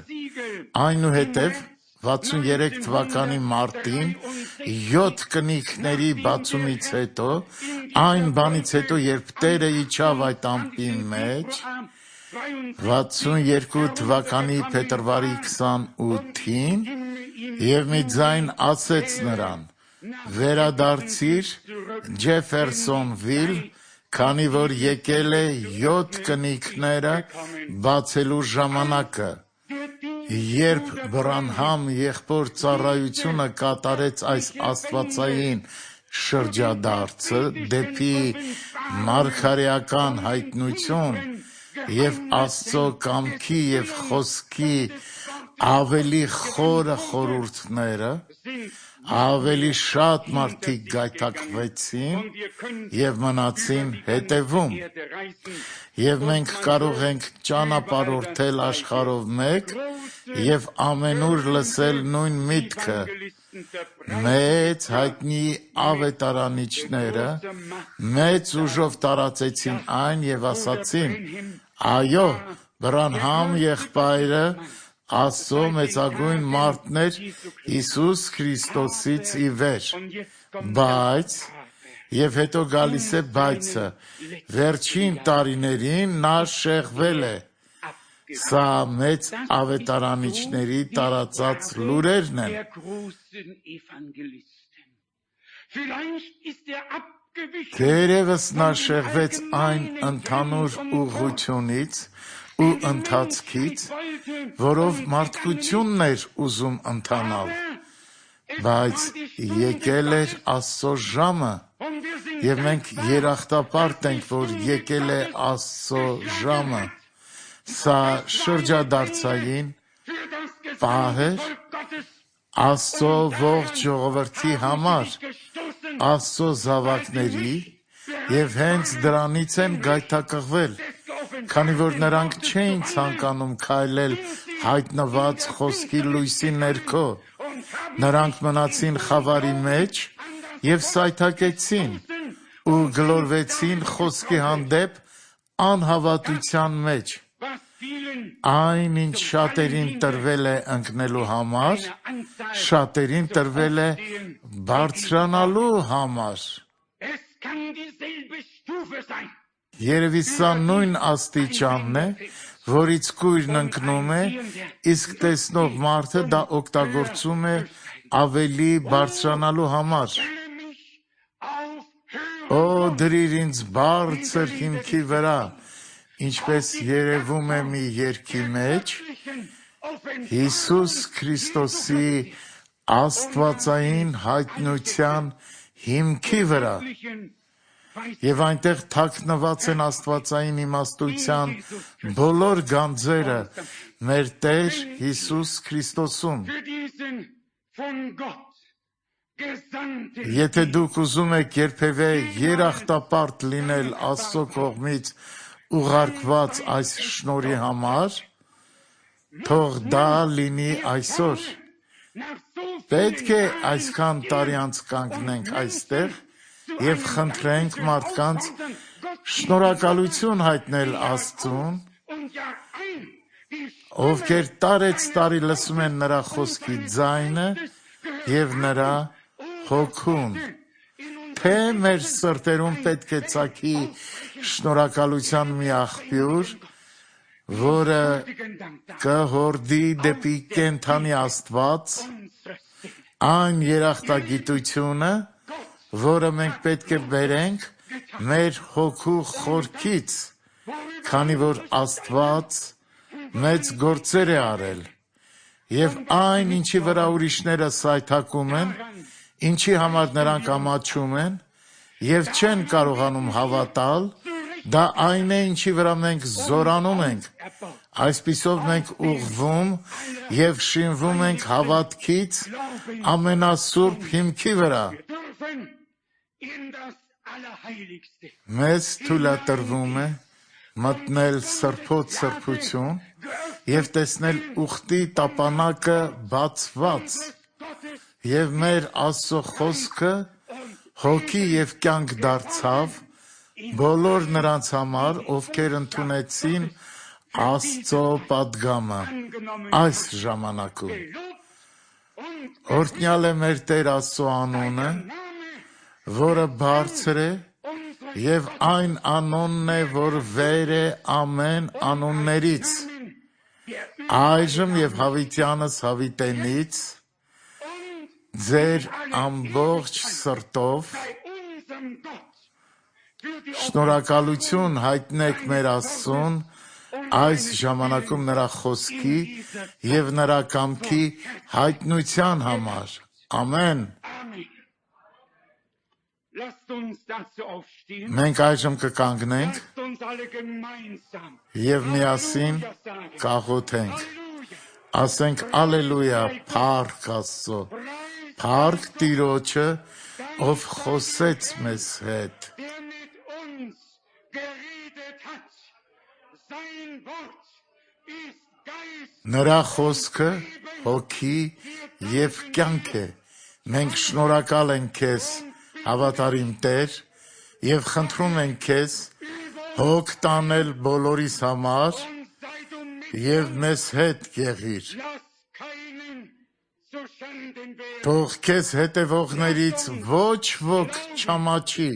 Այնուհետև 63 թվականի մարտին 7 կնիքների բացումից հետո, այն բանից հետո, երբ Տերը իջավ այդ ամպի մեջ, 62 թվականի փետրվարի 28-ին, եւ մի ձայն ասեց նրան. վերադարձիր Ջեֆերսոնվիլ, քանի որ եկել է 7 կնիքները բացելու ժամանակը։ Երբ Բրանհամ եղբոր ծառայությունը կատարեց այս աստվածային շրջադարձը դեպի մարգարեական հայտնություն եւ Աստծո կամքի եւ խոսքի ավելի խորը խորհուրդները, ավելի շատ մարդիկ գայթակղվեցին եւ մնացին հետևում, եւ մենք կարող ենք ճանապարհորդել աշխարհով մեկ եւ ամենուր լսել նույն միտքը։ Մեծ հայտնի ավետարանիչները մեծ ուժով տարածեցին այն եւ ասացին. այո, Բրանհամ եղբայրը Աստծո մեծագույն մարդն էր Հիսուս Քրիստոսից ի վեր, բայց, եւ հետո գալիս է բայցը, վերջին տարիներին նա շեղվել է։ Սա մեծ ավետարանիչների տարածած լուրերն են։ Թերևս նա շեղվեց այն ընդհանուր ուղղությունից ու ընթացքից, որով մարդկությունն էր ուզում ընթանալ, բայց եկել էր Աստծո ժամը, եւ մենք երախտապարտ ենք, որ եկել է Աստծո ժամը։ Սա շրջադարձային պահ էր Աստծո ողջ ժողովրդի համար, Աստծո զավակների, եւ հենց դրանից են գայթակղվել, քանի որ նրանք չէին ցանկանում քայլել հայտնված խոսքի լույսի ներքո, նրանք մնացին խավարի մեջ եւ սայթաքեցին ու գլորվեցին խոսքի հանդեպ անհավատության մեջ։ Այն, ինչ շատերին տրվել է ընկնելու համար, շատերին տրվել է բարձրանալու համար։ Երևի սա նույն աստիճանն է, որից կույրն ընկնում է, իսկ տեսնող մարդը դա օգտագործում է ավելի բարձրանալու համար։ Օ, դրիր ինձ բարձր հիմքի վրա, ինչպես երևում է մի երգի մեջ, Հիսուս Քրիստոսի աստվածային հայտնության հիմքի վրա, եւ այնտեղ թաքնված են աստվածային իմաստության բոլոր գանձերը մեր Տեր Հիսուս Քրիստոսում։ Եթե դուք ուզում եք երբևէ երախտապարտ լինել Աստծո կողմից ուղարկված այս շնորհի համար, թող դա լինի այսօր։ Պետք է այսքան տարի անց կանգնենք այստեղ եւ խնդրենք մարդկանց շնորհակալություն հայտնել Աստծուն, ովքեր տարեցտարի լսում են նրա խոսքի ձայնը եւ նրա հոգուն։ Թե մեր սրտերում պետք է ծագի շնորհակալության մի աղբյուր, որը կհորդի դեպի կենդանի Աստված, այն երախտագիտությունը, որը մենք պետք է բերենք մեր հոգու խորքից, քանի որ Աստված մեծ գործեր է արել, եւ այն, ինչի վրա ուրիշները սայթակում են, ինչի համար նրանք ամաչում են եւ չեն կարողանում հավատալ, դա այն է, ինչի վրա մենք զորանում ենք։ Այսպիսով մենք ուղղվում եւ շինվում ենք հավատքից ամենասուրբ հիմքի վրա։ Մեզ թույլատրվում է մտնել սրբոց սրբություն եւ տեսնել ուխտի տապանակը բացված, եւ մեր Աստծո խոսքը հոգի եւ կյանք դարձավ բոլոր նրանց համար, ովքեր ընդունեցին Աստծո պատգամը այս ժամանակում։ Օրհնյալ է մեր Տեր Աստծո անունը, որը բարձր է, եւ այն անունն է, որ վեր է ամեն անուններից, այժմ եւ հավիտյանս հավիտենից, ձեր ամբողջ սրտով շնորհակալություն հայտնեք մեր Աստծուն այս ժամանակում նրա խոսքի եւ նրա կամքի հայտնության համար։ Ամեն։ Մենք այժմ կկանգնենք եւ միասին կաղոթենք։ Ասենք ալելույա, փառք Աստծո, փառք Տիրոջը, ով խոսեց մեզ հետ։ Նրա խոսքը հոգի եւ կյանք է։ Մենք շնորհակալ ենք քեզ, հավատարիմ Տեր, եւ խնդրում ենք քեզ հոգ տանել բոլորիս համար եւ մեզ հետ եղիր։ Թող քեզ հետևողներից ոչ ոք չամաչի։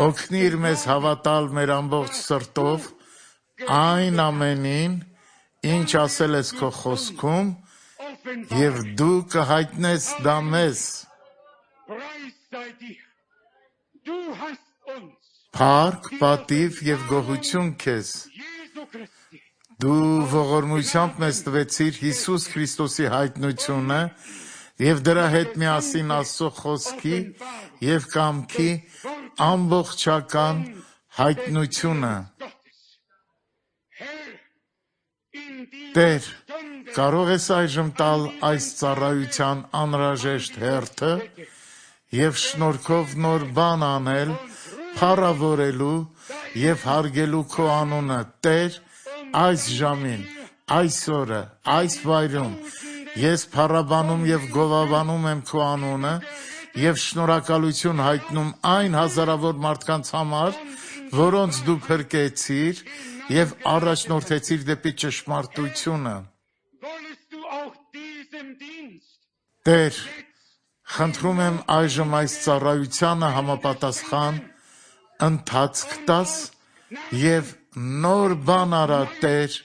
Օգնիր մեզ հավատալ մեր ամբողջ սրտով այն ամենին, ինչ ասել ես քո խոսքում, եւ դու կհայտնես դա մեզ։ Փառք, պատիվ եւ գոհություն քեզ։ Դու ողորմությամբ մեզ տվեցիր Հիսուս Քրիստոսի հայտնությունը եւ դրա հետ միասին Աստծո խոսքի եւ կամքի ամբողջական հայտնությունը։ Տեր, կարող ես այժմ տալ այս ծառայության անհրաժեշտ հերթը եւ շնորհքով նոր բան անել, փառավորելու եւ հարգելու քո անունը, Տեր, այս ժամին, այս օրը, այս վայրում ես փառաբանում եւ գովաբանում եմ քո անունը եւ շնորհակալություն հայտնում այն հազարավոր մարդկանց համար, որոնց դու փրկեցիր եւ առաջնորդեցիր դեպի ճշմարտությունը։ Տեր, խնդրում եմ այժմ այս ծառայությանը համապատասխան ընթացք տաս եւ նոր բան արա, Տեր,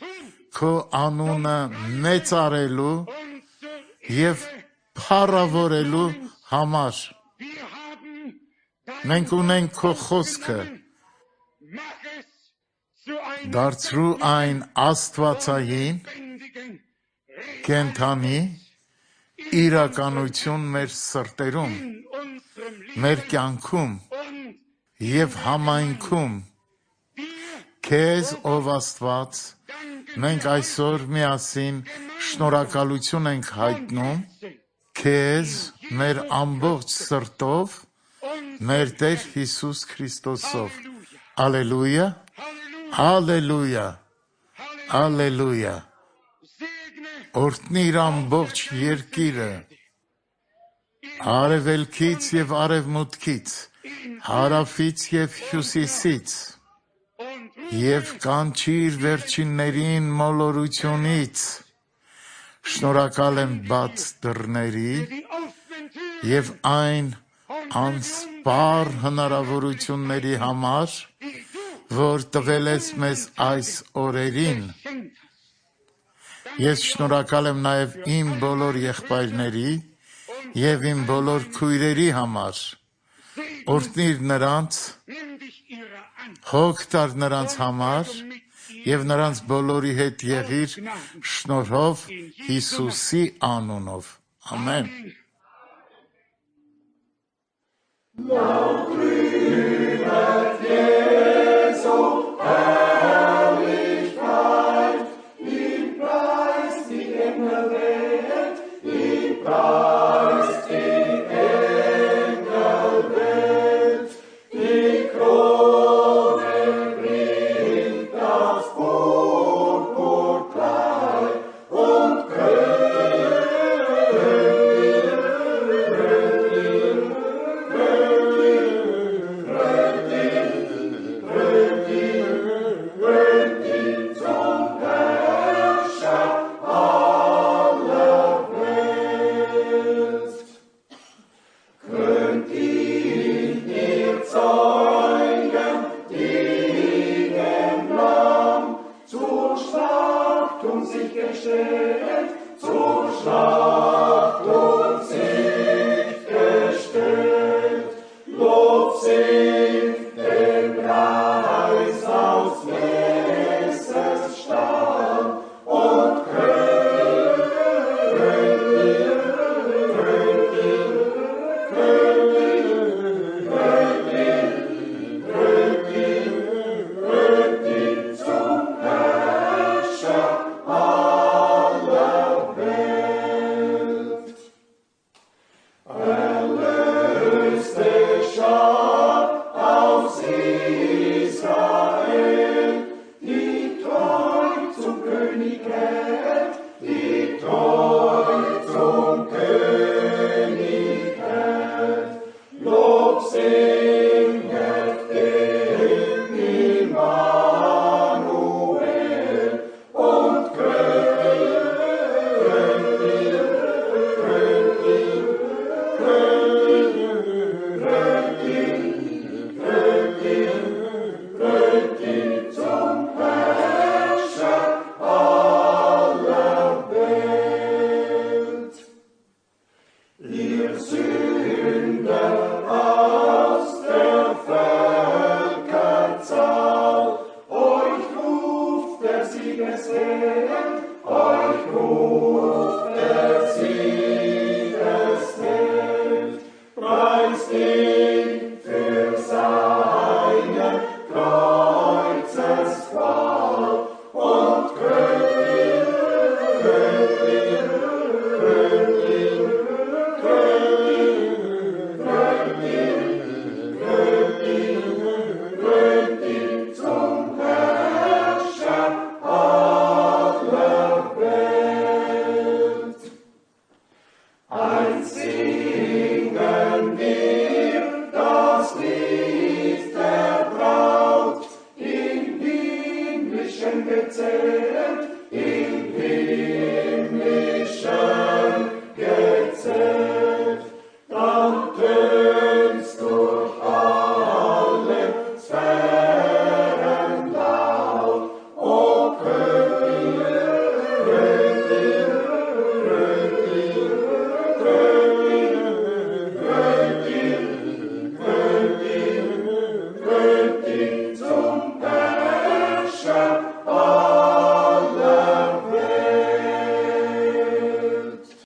քո անունը մեծարելու եւ փառավորելու համար։ Մենք ունենք քո խոսքը, դարձրու այն աստվածային, կենդանի իրականություն մեր սրտերում, մեր կյանքում եւ համայնքում։ Քեզ, ով Աստված, մենք այսօր միասին շնորհակալություն ենք հայտնում, քեզ մեր ամբողջ սրտով, մեր Տեր Հիսուս Քրիստոսով։ Ալելույա, ալելույա, ալելույա։ Օրհնիր ամբողջ երկիրը, արևելքից եւ արևմուտքից, հարավից եւ հյուսիսից, եւ կանչիր վերջիններին մոլորությունից։ Շնորհակալ եմ բաց դռների եւ այն անսպառ հնարավորությունների համար, որ տվել ես մեզ այս օրերին։ Ես շնորհակալ եմ նաեւ իմ բոլոր եղբայրների եւ իմ բոլոր քույրերի համար։ Օրհնիր նրանց, հոգ տար նրանց համար եւ նրանց բոլորի հետ եղիր շնորհով Հիսուսի անունով։ Ամեն։ sich gestellt, zur Schlacht und sich gestellt. Lob singt dem Preis aus Messers Stahl und Königin zum Herrscher aller Welt. Erlöste Schar aus Israel, die treu zum König hält, die treu zum König hält. Lob singet dem Immanuel und Königin zum Herrscher aller Welt. Ihr Sünder aus der Völkerzahl, euch ruft der Siegesheld, euch ruft der Siegesheld. Preist ihn für seine Kreuzesqual und Königin zum Herrscher aller Welt. Eins singen wir das Lied der Braut im himmlischen Gezelt.